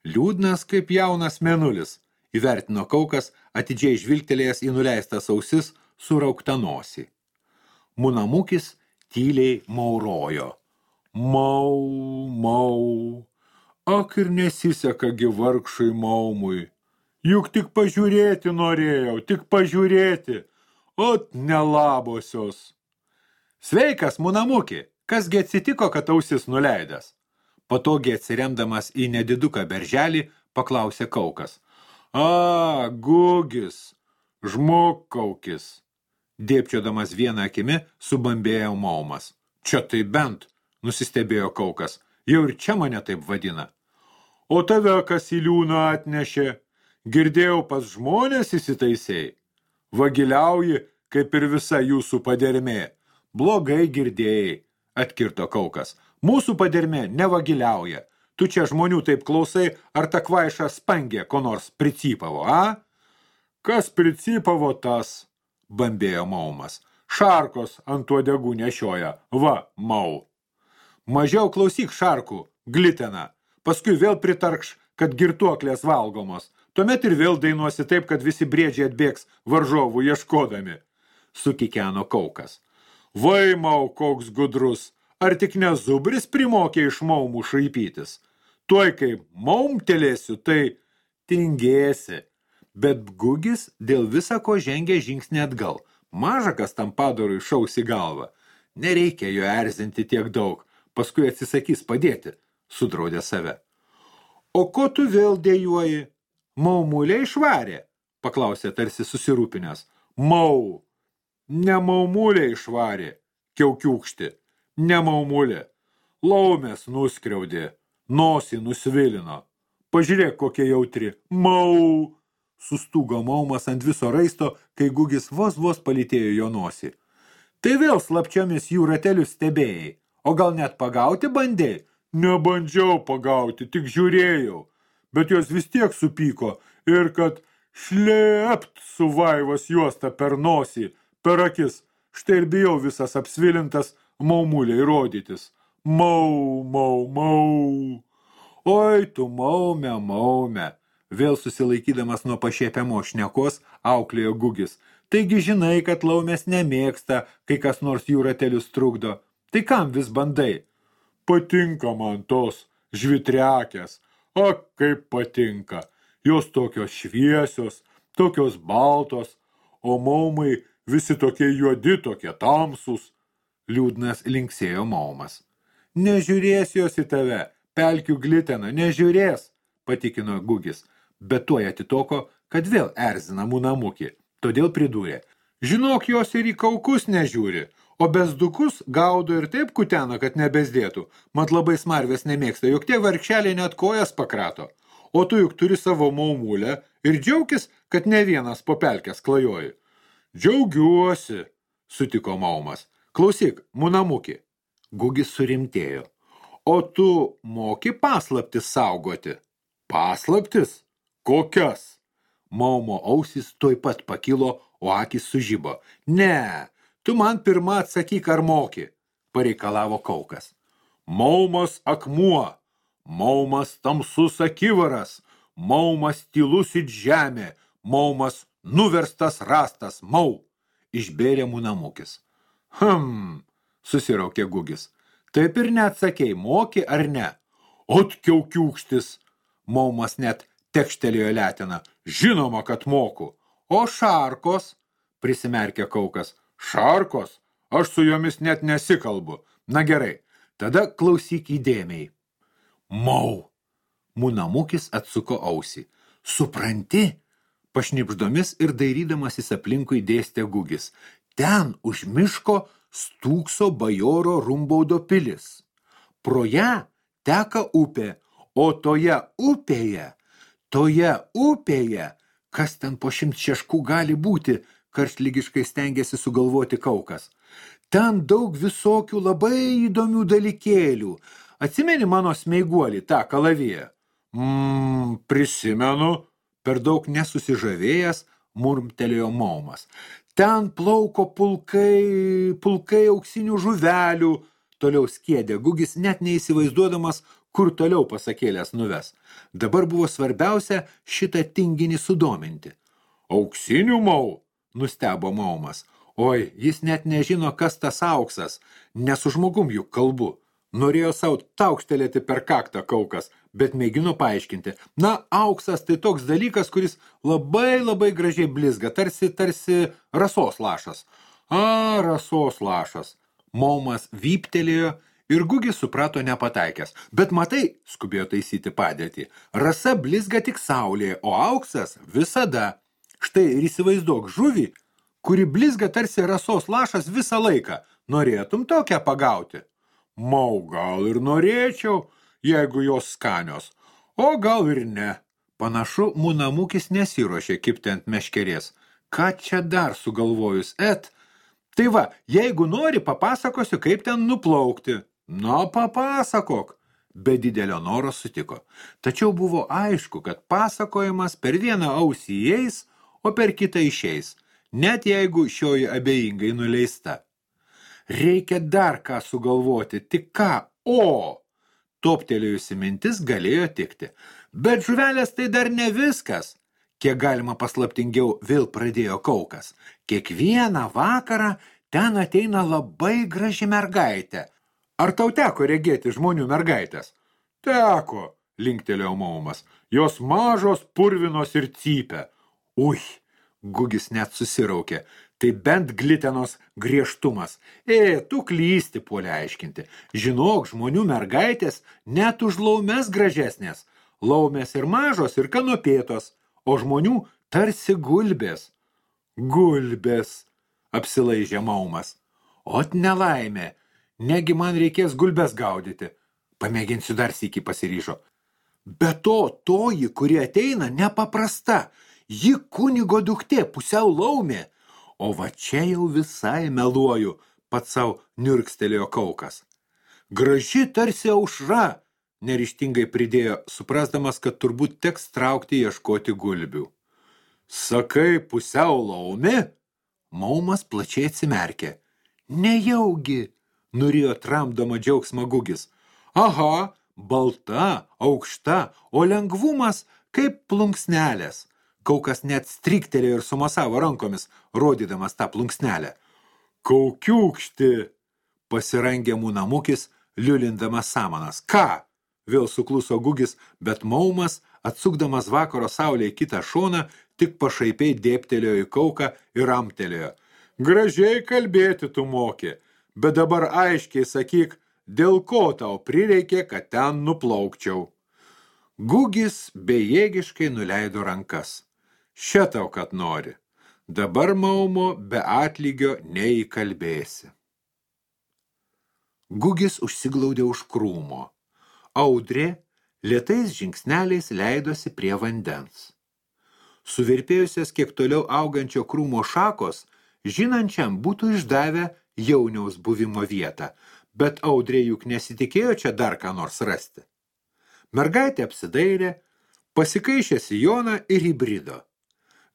Liūdnas kaip jaunas mėnulis, įvertino Kaukas, atidžiai žvilgtelėjęs į nuleistas ausis suraukta nosį. Munamukis tyliai maurojo. Mau. Ak ir nesiseka gi vargšui maumui. Juk tik pažiūrėti norėjau, tik pažiūrėti. Ot nelabosios. Sveikas, munamuki, kasgi atsitiko, kad ausis nuleidęs? Patogiai atsiremdamas į nediduką berželį, paklausė Kaukas. A, Gugis, žmogkaukis. Dėpčiodamas vieną akimi, subambėjo Maumas. Čia tai bent, nusistebėjo Kaukas, jau ir čia mane taip vadina. O tave kas į liūną atnešė? Girdėjau, pas žmonės įsitaisėjai. Vagiliauji, kaip ir visa jūsų padermė. Blogai girdėjai, atkirto Kaukas. Mūsų padermė nevagiliauja. Tu čia žmonių taip klausai, ar ta kvaiša spangė ko nors pricypavo, a? Kas pricypavo tas? Bambėjo Maumas. Šarkos ant uodegų nešioja. Va, Mau. Mažiau klausyk šarkų, glitena. Paskui vėl pritarkš, kad girtuoklės valgomos. Tuomet ir vėl dainuosi taip, kad visi briedžiai atbėgs varžovų ieškodami. Sukikeno Kaukas. Vai, Mau, koks gudrus, ar tik ne zubris primokė iš Maumų šaipytis? Tuoj kaip maumtelėsiu, tai tingėsi. Bet Gugis dėl visako žengė žingsnį atgal. Mažakas tam padarui šaus į galvą. Nereikia jo erzinti tiek daug, paskui atsisakys padėti, sudraudė save. O ko tu vėl dėjuoji? Maumulė išvarė, paklausė tarsi susirūpinęs. Mau. Ne maumulė išvarė, kiaukiukšti, ne maumulė. Laumės nuskriaudė, nosį nusvilino. Pažiūrėk, kokia jautri. Mau. Sustūgo Maumas ant viso raisto, kai Gugis vos palytėjo jo nosį. Tai vėl slapčiomis jų ratelius stebėjai, o gal net pagauti bandėjai? Nebandžiau pagauti, tik žiūrėjau, bet jos vis tiek supyko ir kad šlept su vaivos juosta per nosį, per akis, štai ir bijau visas apsvilintas maumuliai rodytis. Mau, mau, mau. Oi, tu maume, maume. Vėl susilaikydamas nuo pašiepiamo šnekos, auklėjo Gugis. Taigi žinai, kad laumės nemėgsta, kai kas nors jų ratelius trukdo. Tai kam vis bandai? Patinka man tos žvitriakės. O kaip patinka. Jos tokios šviesios, tokios baltos, o maumai visi tokie juodi, tokie tamsūs. Liūdnas linksėjo Maumas. Nežiūrės jos į tave, pelkių glitena, nežiūrės, patikino Gugis. Bet tuoj atitoko, kad vėl erzina munamukį. Todėl pridūrė. Žinok, jos ir į kaukus nežiūri, o bezdukus gaudo ir taip kutena, kad nebezdėtų. Mat labai smarvės nemėgsta, juk tie vargšeliai net kojas pakrato. O tu juk turi savo maumulę ir džiaukis, kad ne vienas po pelkės klajoji. Džiaugiuosi, sutiko Maumas. Klausyk, munamukį. Gugis surimtėjo. O tu moki paslaptis saugoti? Paslaptis? Kokias? Maumo ausys tuoj pat pakilo, o akys sužibo. Ne, tu man pirma atsakyk, ar moki, pareikalavo Kaukas. Maumas akmuo, Maumas tamsus akivaras, Maumas tylus it žemė, Maumas nuverstas rastas, Mau, išbėrė munamukis. Susiraukė Gugis. Taip ir neatsakei, moki ar ne? Ot kiaukiukštis, Maumas net tekštelėjo leteną. Žinoma, kad moku. O šarkos, prisimerkė Kaukas. Šarkos? Aš su jomis net nesikalbu. Na gerai, tada klausyk įdėmiai. Mau. Munamukis atsuko ausį. Supranti? Pašnipždomis ir dairydamasis aplinkui dėstė Gugis. Ten už miško stūkso bajoro Rumbaudo pilis. Pro ją teka upė, o toje upėje, kas ten po 100 šeškų gali būti, karštligiškai stengėsi sugalvoti Kaukas. Ten daug visokių labai įdomių dalykėlių. Atsimeni mano smeiguolį, tą kalaviją? Prisimenu, per daug nesusižavėjęs, murmtelėjo Maumas. Ten plauko pulkai auksinių žuvelių, toliau skiedė Gugis, net neįsivaizduodamas, kur toliau pasakėlės nuves. Dabar buvo svarbiausia šitą tinginį sudominti. Auksinių, Mau, nustebo Maumas. Oi, jis net nežino, kas tas auksas, ne su žmogum juk kalbu. Norėjo savo taukštelėti per kaktą Kaukas, bet mėgino paaiškinti. Na, auksas tai toks dalykas, kuris labai gražiai blizga, tarsi rasos lašas. Rasos lašas. Maumas vyptelėjo ir Gugis suprato nepataikęs. Bet matai, skubėjo taisyti padėtį, rasa blizga tik saulėje, o auksas visada. Štai ir įsivaizduok žuvį, kuri blizga tarsi rasos lašas visą laiką. Norėtum tokią pagauti? Mau, gal ir norėčiau, jeigu jos skanios, o gal ir ne. Panašu, Munamukis nesiruošė kibti ant meškerės. Ką čia dar sugalvojus, Tai va, jeigu nori, papasakosiu, kaip ten nuplaukti. Na, papasakok. Be didelio noro sutiko. Tačiau buvo aišku, kad pasakojimas per vieną ausį įeis, o per kitą išeis, net jeigu šioji abejingai nuleista. Reikia dar ką sugalvoti, tik ką, Toptelėjusi mintis galėjo tikti. Bet žuvelės tai dar ne viskas. Kiek galima paslaptingiau vėl pradėjo Kaukas. Kiekvieną vakarą ten ateina labai graži mergaitė. Ar tau teko regėti žmonių mergaitės? Teko, linktelėjo Maumas. Jos mažos, purvinos ir cypia. Gugis net susiraukė. Tai bent glitenos griežtumas. Tu klysti, puolė aiškinti. Žinok, žmonių mergaitės net už laumes gražesnės. Laumės ir mažos, ir kanopėtos, o žmonių tarsi gulbės. Gulbės, apsilaižė Maumas. Ot nelaimė, negi man reikės gulbės gaudyti. Pamėginsiu dar sykį, pasiryžo. Be to, toji, kuri ateina, nepaprasta. Ji kunigo duktė, pusiau laumė. O va čia jau visai meluoju, pats savo niurkstelėjo Kaukas. Graži tarsi aušra, neryžtingai pridėjo, suprasdamas, kad turbūt teks traukti ieškoti gulbių. Sakai, pusiau laumė? Maumas plačiai atsimerkė. Nejaugi, nurijo tramdama džiaugsmą Gugis. Aha, balta, aukšta, o lengvumas kaip plunksnelės. Kaukas net striktelėjo ir sumasavo rankomis, rodydamas tą plunksnelę. Kaukiūkšti, pasirangė Munamukis, liulindamas samanas. Ką? Vėl sukluso Gugis, bet Maumas, atsukdamas vakaro saulę į kitą šoną, tik pašaipiai dėptelėjo į Kauką ir amtelėjo. Gražiai kalbėti tu moki, bet dabar aiškiai sakyk, dėl ko tau prireikė, kad ten nuplaukčiau. Gugis bejėgiškai nuleido rankas. Šia tau, kad nori. Dabar Maumo be atlygio neįkalbėsi. Gugis užsiglaudė už krūmo. Audrė lėtais žingsneliais leidosi prie vandens. Suvirpėjusias kiek toliau augančio krūmo šakos, žinančiam būtų išdavę jauniaus buvimo vietą, bet Audrė juk nesitikėjo čia dar ką nors rasti. Mergaitė apsidairė, pasikaišė sijoną ir įbrido.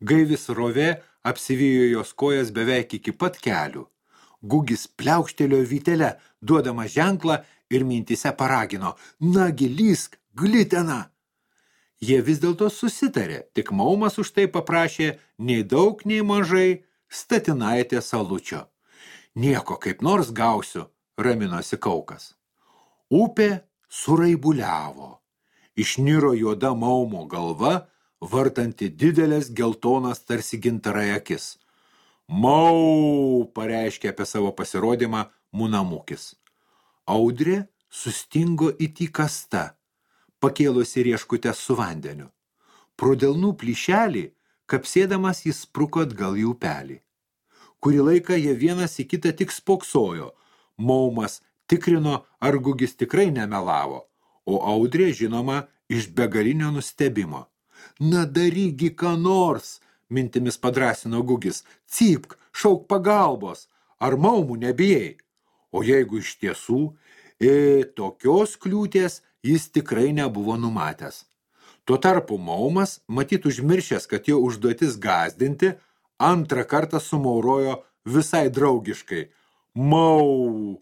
Gaivis rovė apsivijo jos kojas beveik iki pat kelių. Gugis pliaukštelėjo vytelę, duodama ženklą ir mintise paragino. Nagi, lysk, glitena! Jie vis dėlto susitarė, tik Maumas už tai paprašė nei daug, nei mažai statinaitė salučio. Nieko kaip nors gausiu, raminosi Kaukas. Upė suraibuliavo. Išniro juoda Maumo galva, vartanti didelės geltonas tarsi gintarai akis. Mau, pareiškė apie savo pasirodymą Munamukis. Audrė sustingo it įkasta, pakėlusi rieškutės su vandeniu. Pro delnų plyšelį, kapsėdamas jis spruko atgal į upelį. Kurį laiką jie vienas į kitą tik spoksojo. Maumas tikrino, ar Gugis tikrai nemelavo, o Audrė, žinoma, iš begalinio nustebimo. Na darygi ką nors, mintimis padrąsino Gugis. Cypk, šauk pagalbos, ar Maumų nebijai? O jeigu iš tiesų, tokios kliūties jis tikrai nebuvo numatęs. Tuo tarpu Maumas, matyt užmiršęs, kad jo užduotis gąsdinti, antrą kartą sumaurojo visai draugiškai. Mau,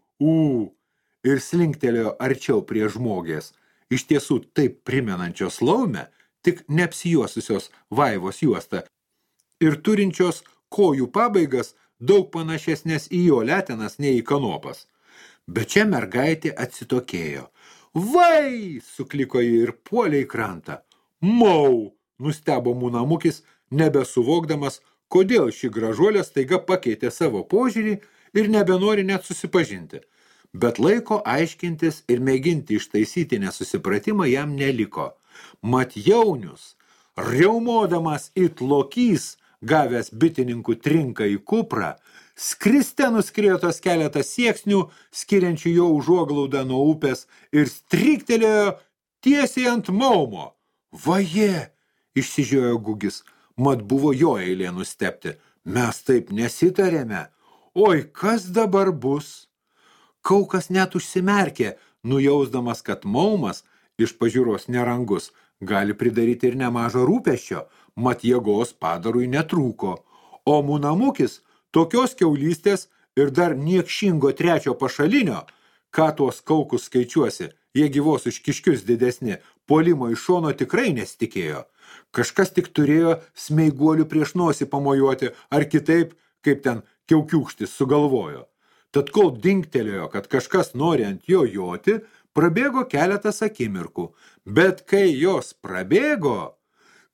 ir slinktelėjo arčiau prie žmogės, iš tiesų taip primenančios laumę, tik neapsijuosusios vaivos juostą ir turinčios kojų pabaigas daug panašesnės į jo letenas nei į kanopas. Bet čia mergaitė atsitokėjo. Vai, sukliko ji ir puolė į krantą. Mau, nustebo Mūnamukis, nebesuvokdamas, kodėl ši gražuolė staiga pakeitė savo požiūrį ir nebenori net susipažinti. Bet laiko aiškintis ir mėginti ištaisyti nesusipratimą jam neliko. Mat Jaunius, riaumodamas it lokys, gavęs bitininkų trinką į kuprą, skriste nuskriejo tos keletą sieksnių, skiriančių jo užuoglaudą nuo upės, ir stryktelėjo tiesiai ant Maumo. Vaje, išsižiojo Gugis, mat buvo jo eilė nustebti. Mes taip nesitarėme. Oi, kas dabar bus? Kaukas net užsimerkė, nujausdamas, kad Maumas, iš pažiūros nerangus, gali pridaryti ir nemažo rūpesčio, mat jėgos padarui netrūko. O Mūnamukis tokios kiaulystės ir dar niekšingo trečio pašalinio, ką tuos kaukus skaičiuosi, jie gyvos už kiškius didesni, puolimo iš šono tikrai nesitikėjo. Kažkas tik turėjo smeiguolių prieš nosį pamojuoti, ar kitaip, kaip ten kiaukiūkštis sugalvojo. Tad kol dingtelėjo, kad kažkas nori ant jo joti, prabėgo keletas akimirkų. Bet kai jos prabėgo,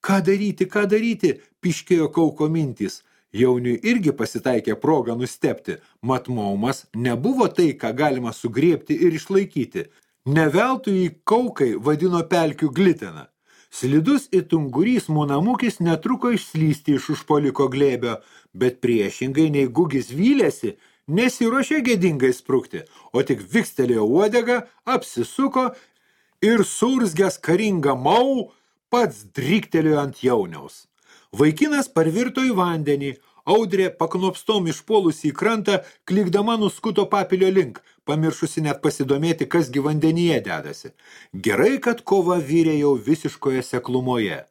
ką daryti, piškėjo kauko mintys. Jauniui irgi pasitaikė progą nustebti, mat Maumas nebuvo tai, ką galima sugriebti ir išlaikyti. Ne veltui jį kaukai vadino pelkių gliteną. Slidus it ungurys Mūnamukis netruko išslysti iš užpuoliko glėbio, bet priešingai nei Gugis vylėsi, nesiruošė gėdingai sprukti, o tik vikstelėjo uodegą, apsisuko ir surzgęs karingą Mau pats dryktelėjo ant Jauniaus. Vaikinas parvirto į vandenį, Audrė paknopstom išpuolusi į krantą, klikdama nuskuto papilio link, pamiršusi net pasidomėti, kas gi vandenyje dedasi. Gerai, kad kova vyrė jau visiškoje seklumoje.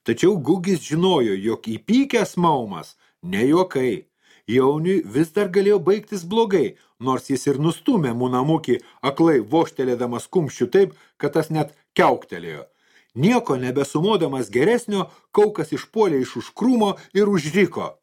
Tačiau Gugis žinojo, jog įpykęs Maumas ne juokai. Jauniui vis dar galėjo baigtis blogai, nors jis ir nustūmė Mūnamukį aklai vožtelėdamas kumščių taip, kad tas net kiauktelėjo. Nieko nebesumodamas geresnio, kaukas išpuolė iš už krūmo ir užriko.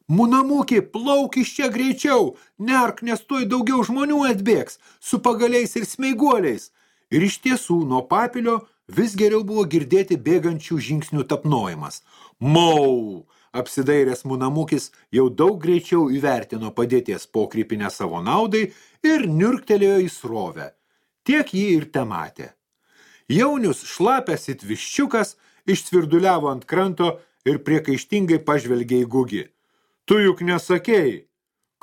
Mūnamukį, plauk iš čia greičiau, nerk, nes tuoj daugiau žmonių atbėgs, su pagaliais ir smeiguoliais. Ir iš tiesų, nuo papilio vis geriau buvo girdėti bėgančių žingsnių tapnojimas. Mau! Apsidairęs Mūnamukis jau daug greičiau įvertino padėties pokrypinę savo naudai ir niurktelėjo į srovę. Tiek jį ir tematė. Jaunius šlapęs it viščiukas išsvirduliavo ant kranto ir priekaištingai pažvelgė į Gugį. Tu juk nesakei.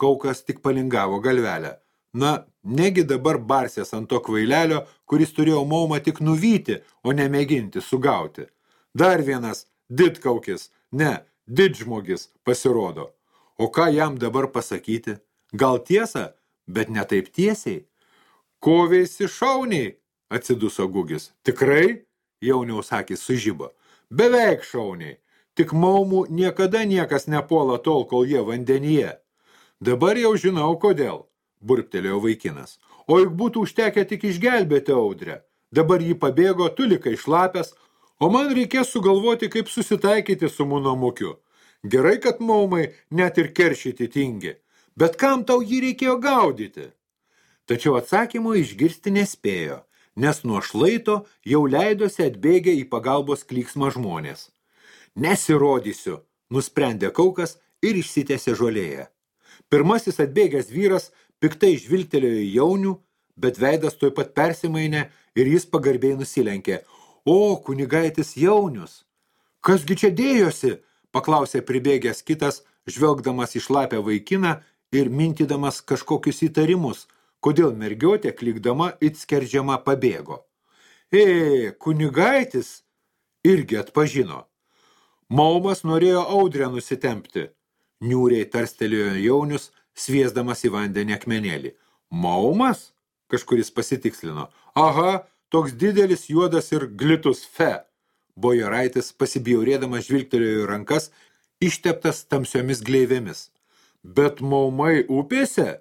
Kaukas tik palingavo galvelę. Na, negi dabar barsės ant to kvailelio, kuris turėjo Maumą tik nuvyti, o nemėginti sugauti. Dar vienas didkaukis, ne, didžmogis pasirodo. O ką jam dabar pasakyti? Gal tiesa, bet ne taip tiesiai. Koveisi šauniai, atsiduso Gugis. Tikrai? Jauniaus akys sužibo. Beveik šauniai. Tik Maumų niekada niekas nepuola tol, kol jie vandenyje. Dabar jau žinau, kodėl, burptelėjo vaikinas. O juk būtų užtekę tik išgelbėti Audrę. Dabar jį pabėgo, tu likai šlapęs, o man reikės sugalvoti, kaip susitaikyti su Mūnamukiu. Gerai, kad Maumai net ir keršyti tingi. Bet kam tau jį reikėjo gaudyti? Tačiau atsakymo išgirsti nespėjo, nes nuo šlaito jau leidosi atbėgę į pagalbos klyksmą žmonės. Nesirodysiu, nusprendė kaukas ir išsitęsė žolėje. Pirmasis atbėgęs vyras piktai žvilgtelėjo į Jaunių, bet veidas tuoj pat persimainė ir jis pagarbiai nusilenkė. O, kunigaitis Jaunius! Kasgi čia dėjosi? Paklausė pribėgęs kitas, žvelgdamas į šlapę vaikiną ir mintydamas kažkokius įtarimus, kodėl mergiotė klikdama it skerdžiama pabėgo. Kunigaitis irgi atpažino. Maumas norėjo Audrę nusitempti. Niūriai tarstelėjo Jaunius, sviesdamas į vandenį akmenėlį. Maumas? Kažkuris pasitikslino. Aha, toks didelis juodas ir glitus fe. Bojoraitis pasibjaurėdamas žvilgtelėjo į rankas, išteptas tamsiomis gleivėmis. Bet Maumai upėse?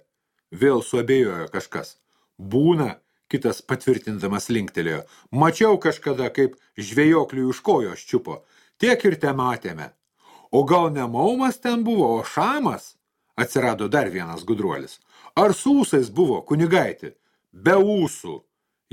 Vėl suabejojo kažkas. Būna, kitas patvirtindamas linktelėjo. Mačiau kažkada, kaip žvejokliui už kojos čiupo. Tiek ir te matėme. O gal ne Maumas ten buvo, o Šamas? Atsirado dar vienas gudruolis. Ar su ūsais buvo, kunigaiti? Be ūsų.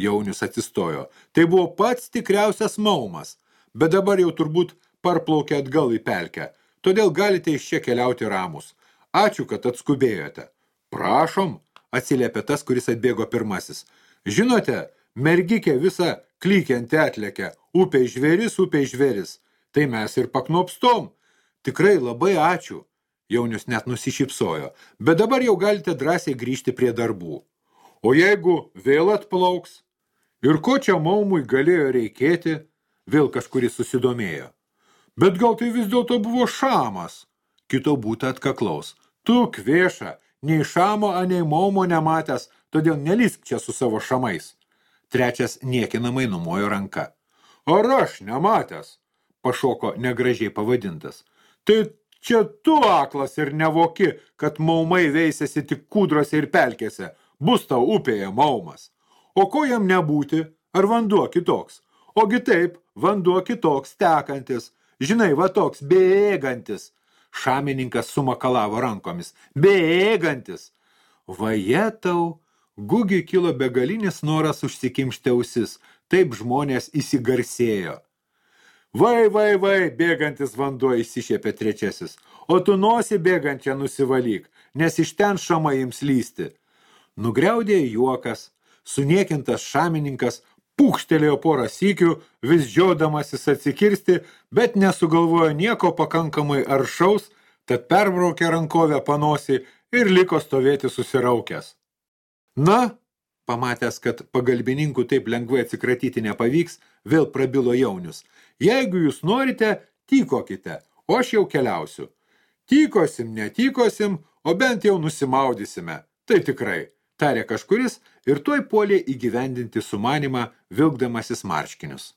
Jaunius atsistojo. Tai buvo pats tikriausias maumas, bet dabar jau turbūt parplaukė atgal į pelkę. Todėl galite iš čia keliauti ramus. Ačiū, kad atskubėjote. Prašom, atsiliepė tas, kuris atbėgo pirmasis. Žinote, mergikė visa klykianti atlėkė. Upei žvėris. Tai mes ir paknopstom. Tikrai labai ačiū. Jaunius net nusišypsojo. Bet dabar jau galite drąsiai grįžti prie darbų. O jeigu vėl atplauks? Ir ko čia maumui galėjo reikėti? Vėl kažkuris susidomėjo. Bet gal tai vis dėlto buvo šamas? Kito būta atkaklaus. Tu kvėša, nei šamo, nei maumo nematęs, todėl nelisk čia su savo šamais. Trečias niekinamai numojo ranka. Ar aš nematęs? Pašoko negražiai pavadintas. Tai čia tu aklas ir nevoki, kad maumai veisėsi tik kūdrose ir pelkėse. Bus tau upėje maumas. O ko jam nebūti? Ar vanduo kitoks? Ogi taip, vanduo kitoks, tekantis. Žinai, va toks, bėgantis. Šamininkas sumakalavo rankomis. Bėgantis. Vajetau, Gugiui kilo begalinis noras užsikimšti ausis. Taip žmonės įsigarsėjo. Vai, bėgantis vanduo, įsišiepė trečiasis. O tu nosį bėgančią nusivalyk, nes iš ten šamai ims lysti. Nugriaudė juokas, suniekintas šamininkas pūkštelėjo porą sykių, vis žiodamasis atsikirsti, bet nesugalvojo nieko pakankamai aršaus, tad perbraukė rankovę panosį ir liko stovėti susiraukęs. Na, pamatęs, kad pagalbininkų taip lengvai atsikratyti nepavyks, vėl prabilo Jaunius. Jeigu jūs norite, tykokite, o aš jau keliausiu. Tykosim, netykosim, o bent jau nusimaudysime. Tai tikrai, tarė kažkuris ir tuoj puolė įgyvendinti sumanimą, vilkdamasis marškinius.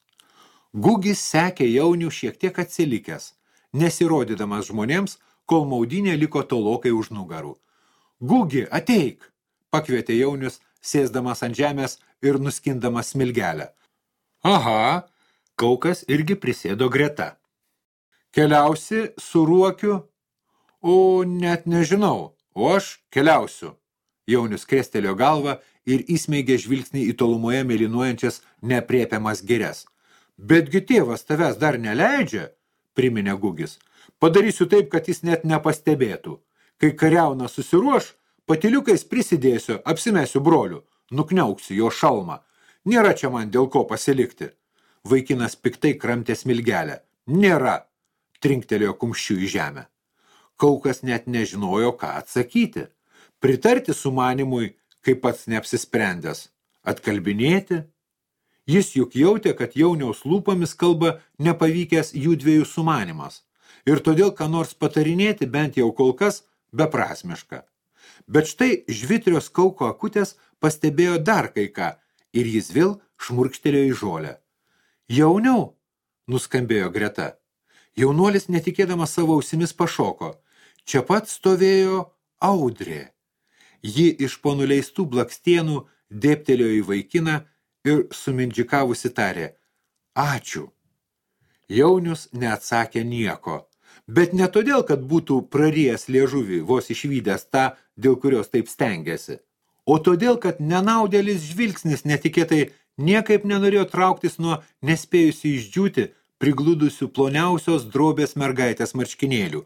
Gugis sekė Jaunių šiek tiek atsilikęs, nesirodydamas žmonėms, kol maudynė liko tolokai už nugarų. Gugi, ateik, pakvietė Jaunius, sėsdamas ant žemės ir nuskindamas smilgelę. Aha, Kaukas irgi prisėdo greta. Keliausi su Ruokiu? O net nežinau, o aš keliausiu. Jaunius krestelėjo galvą ir įsmeigė žvilgsnį į tolumoje mėlynuojančias neaprėpiamas girias. Betgi tėvas tavęs dar neleidžia, priminė Gugis. Padarysiu taip, kad jis net nepastebėtų. Kai kariauna susiruoš, patyliukais prisidėsiu, apsimesiu broliu, nukniauksiu jo šalmą. Nėra čia man dėl ko pasilikti. Vaikinas piktai kramtė smilgelę. Nėra, trinktelėjo kumščiu į žemę. Kaukas net nežinojo, ką atsakyti. Pritarti sumanimui, kaip pats neapsisprendęs. Atkalbinėti? Jis juk jautė, kad Jauniaus lūpomis kalba nepavykęs jų dviejų sumanimas. Ir todėl, ką nors patarinėti, bent jau kol kas, beprasmiška. Bet štai žvitrios Kauko akutės pastebėjo dar kai ką, ir jis vėl šmurkštelėjo į žolę. Jauniau, nuskambėjo greta. Jaunuolis netikėdamas savo ausimis pašoko. Čia pat stovėjo Audrė. Ji iš po nuleistų blakstienų dėptelėjo į vaikiną ir sumindžikavusi tarė. Ačiū. Jaunius neatsakė nieko. Bet ne todėl, kad būtų prarijęs liežuvį, vos išvydęs tą, dėl kurios taip stengėsi. O todėl, kad nenaudėlis žvilgsnis netikėtai niekaip nenorėjo trauktis nuo nespėjusi išdžiūti prigludusių ploniausios drobės mergaitės marškinėlių.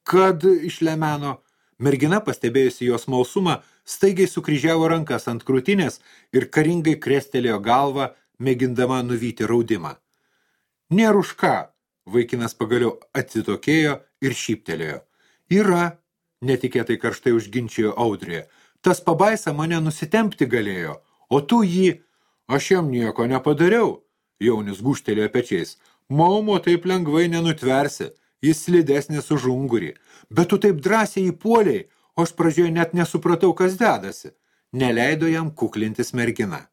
Kad išlemeno, mergina pastebėjusi jos smalsumą, staigiai sukryžiavo rankas ant krūtinės ir karingai krestelėjo galvą, mėgindama nuvyti raudimą. Nėr už ką, vaikinas pagaliau atsitokėjo ir šyptelėjo. Yra, netikėtai karštai užginčijo Audrė. Tas pabaisa mane nusitempti galėjo, o tu jį... Aš jam nieko nepadariau, Jaunis gūžtelėjo pečiais. Maumo taip lengvai nenutversi, jis slidesnis už ungurį. Bet tu taip drąsiai įpuoliai, o aš pradžioje net nesupratau, kas dedasi. Neleido jam kuklintis mergina.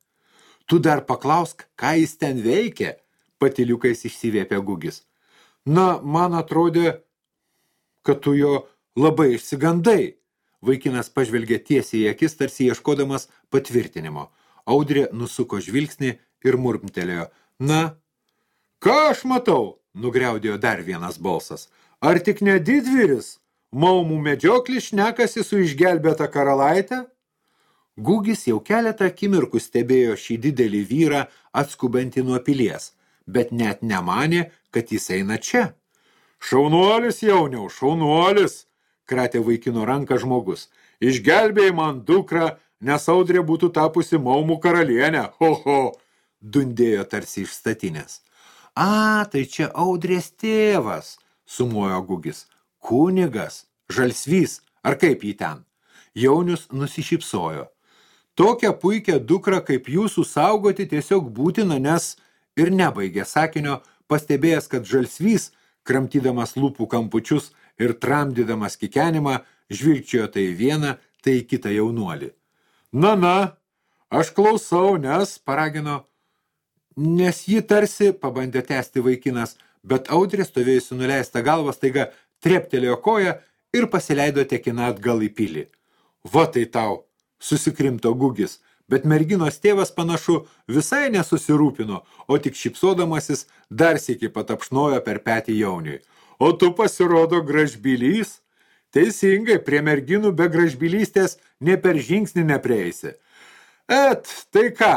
Tu dar paklausk, ką jis ten veikė, patyliukais išsivėpė Gugis. Na, man atrodė, kad tu jo labai išsigandai. Vaikinas pažvelgė tiesiai į akis, tarsi ieškodamas patvirtinimo. Audrė nusuko žvilgsnį ir murmtelėjo. Na, ką aš matau? Nugriaudėjo dar vienas balsas. Ar tik ne didvyris? Maumų medžioklis šnekasi su išgelbėta karalaitė? Gugis jau keletą akimirkų stebėjo šį didelį vyrą atskubantį nuo pilies, bet net nemanė, kad jis eina čia. Šaunuolis, jauniau, šaunuolis, kratė vaikino ranką žmogus. Išgelbėjai man dukrą, nes Audrė būtų tapusi maumų karalienė. Ho, ho, dundėjo tarsi iš statinės. A, tai čia Audrės tėvas, sumojo Gugis. Kunigas, žalsvys, ar kaip jį ten? Jaunius nusišypsojo. Tokią puikią dukrą kaip jūsų saugoti tiesiog būtina, nes ir nebaigė sakinio, pastebėjęs, kad žalsvys, kramtydamas lūpų kampučius ir tramdydamas kikenimą, žvilgčiojo tai vieną, tai kitą jaunuolį. Na, aš klausau, nes, paragino, nes ji tarsi, pabandė tęsti vaikinas, bet Audrė stovėjusi nuleista galva staiga treptelėjo koją ir pasileido tekina atgal į pilį. Va tai tau, susikrimto Gugis, bet merginos tėvas panašu visai nesusirūpino, o tik šypsodamasis dar sykį patapšnojo per petį jauniui. O tu pasirodo gražbylys? Teisingai, prie merginų be gražbylystės ne per žingsnį neprieisi. Tai ką?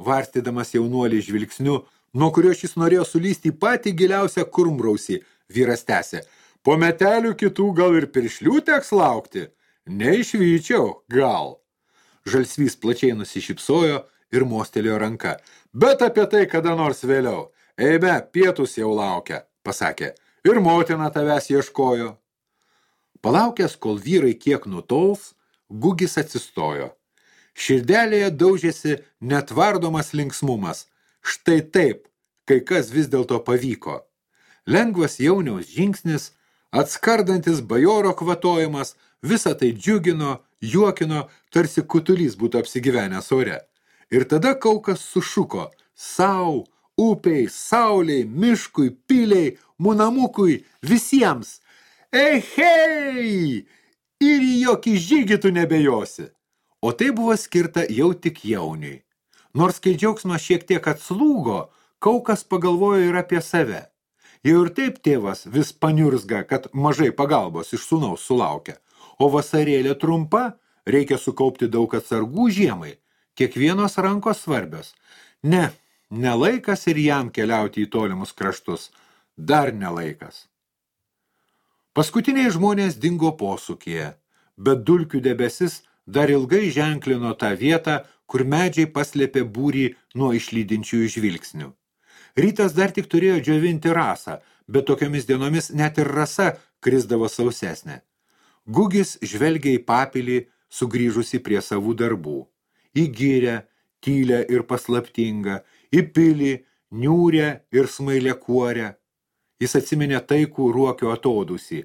Varstydamas jaunuolį žvilgsniu, nuo kurio šis norėjo sulysti į patį giliausią kurmrausį, vyras tęsė. Po metelių kitų gal ir piršlių teks laukti? Neišvyčiau, gal. Žalsvys plačiai nusišypsojo ir mostelėjo ranka. Bet apie tai kada nors vėliau. Eime, pietus jau laukia, pasakė. Ir motina tavęs ieškojo. Palaukęs, kol vyrai kiek nutols, Gugis atsistojo. Širdelėje daužėsi netvardomas linksmumas. Štai taip, kai kas vis dėlto pavyko. Lengvas jauniaus žingsnis, atskardantis bajoro kvatojimas, visą tai džiugino, juokino, tarsi kutulys būtų apsigyvenęs ore. Ir tada Kaukas sušuko sau, upiai, sauliai, miškui, piliai, munamukui, visiems. Hei! Ir į jokį žygį tu nebejosi. O tai buvo skirta jau tik jauniui. Nors kai džiaugsmas šiek tiek atslūgo, Kaukas pagalvojo ir apie save. Jau ir taip tėvas vis paniurzga, kad mažai pagalbos iš sūnaus sulaukia. O vasarėlė trumpa, reikia sukaupti daug atsargų žiemai. Kiekvienos rankos svarbios. Ne laikas ir jam keliauti į tolimus kraštus. Dar ne laikas. Paskutiniai žmonės dingo posūkyje, bet dulkių debesis dar ilgai ženklino tą vietą, kur medžiai paslėpė būrį nuo išlydinčiųjų žvilgsnių. Rytas dar tik turėjo džiovinti rasą, bet tokiomis dienomis net ir rasa krisdavo sausesnė. Gugis žvelgė į papilį, sugrįžusi prie savų darbų. Į gyrę, tylę ir paslaptingą, į pilį, niūrę ir smailę kuorę. Jis atsiminė taikų ruokio atodusį.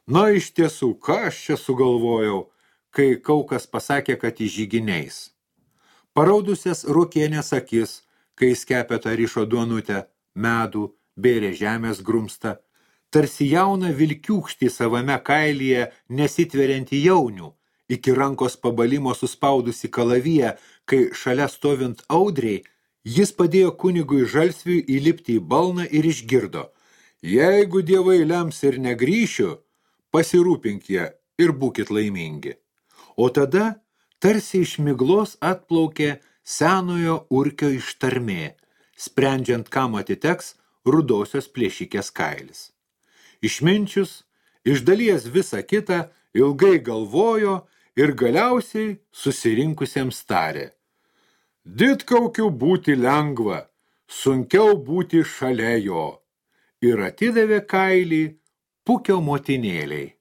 Na, iš tiesų, ką aš čia sugalvojau, kai Kaukas pasakė, kad į žyginiais. Paraudusias ruokienės akis, kai skepeta rišo duonutę, medų, bėrė žemės grumstą, tarsi jauna vilkiūkštį savame kailyje nesitverianti jaunių, iki rankos pabalimo suspaudusi kalaviją, kai šalia stovint Audrei, jis padėjo kunigui Žalsviui įlipti į balną ir išgirdo. Jeigu dievai lems ir negrįšiu, pasirūpink jie ir būkit laimingi. O tada tarsi iš miglos atplaukė senojo urkio ištarmė, sprendžiant, kam atiteks rudosios plėšikės kailis. Išminčius, išdalies visą kitą, ilgai galvojo ir galiausiai susirinkusiems tarė. Didkaukiu būti lengva, sunkiau būti šalia jo. Ir atidavė kailį Pukio motinėliai.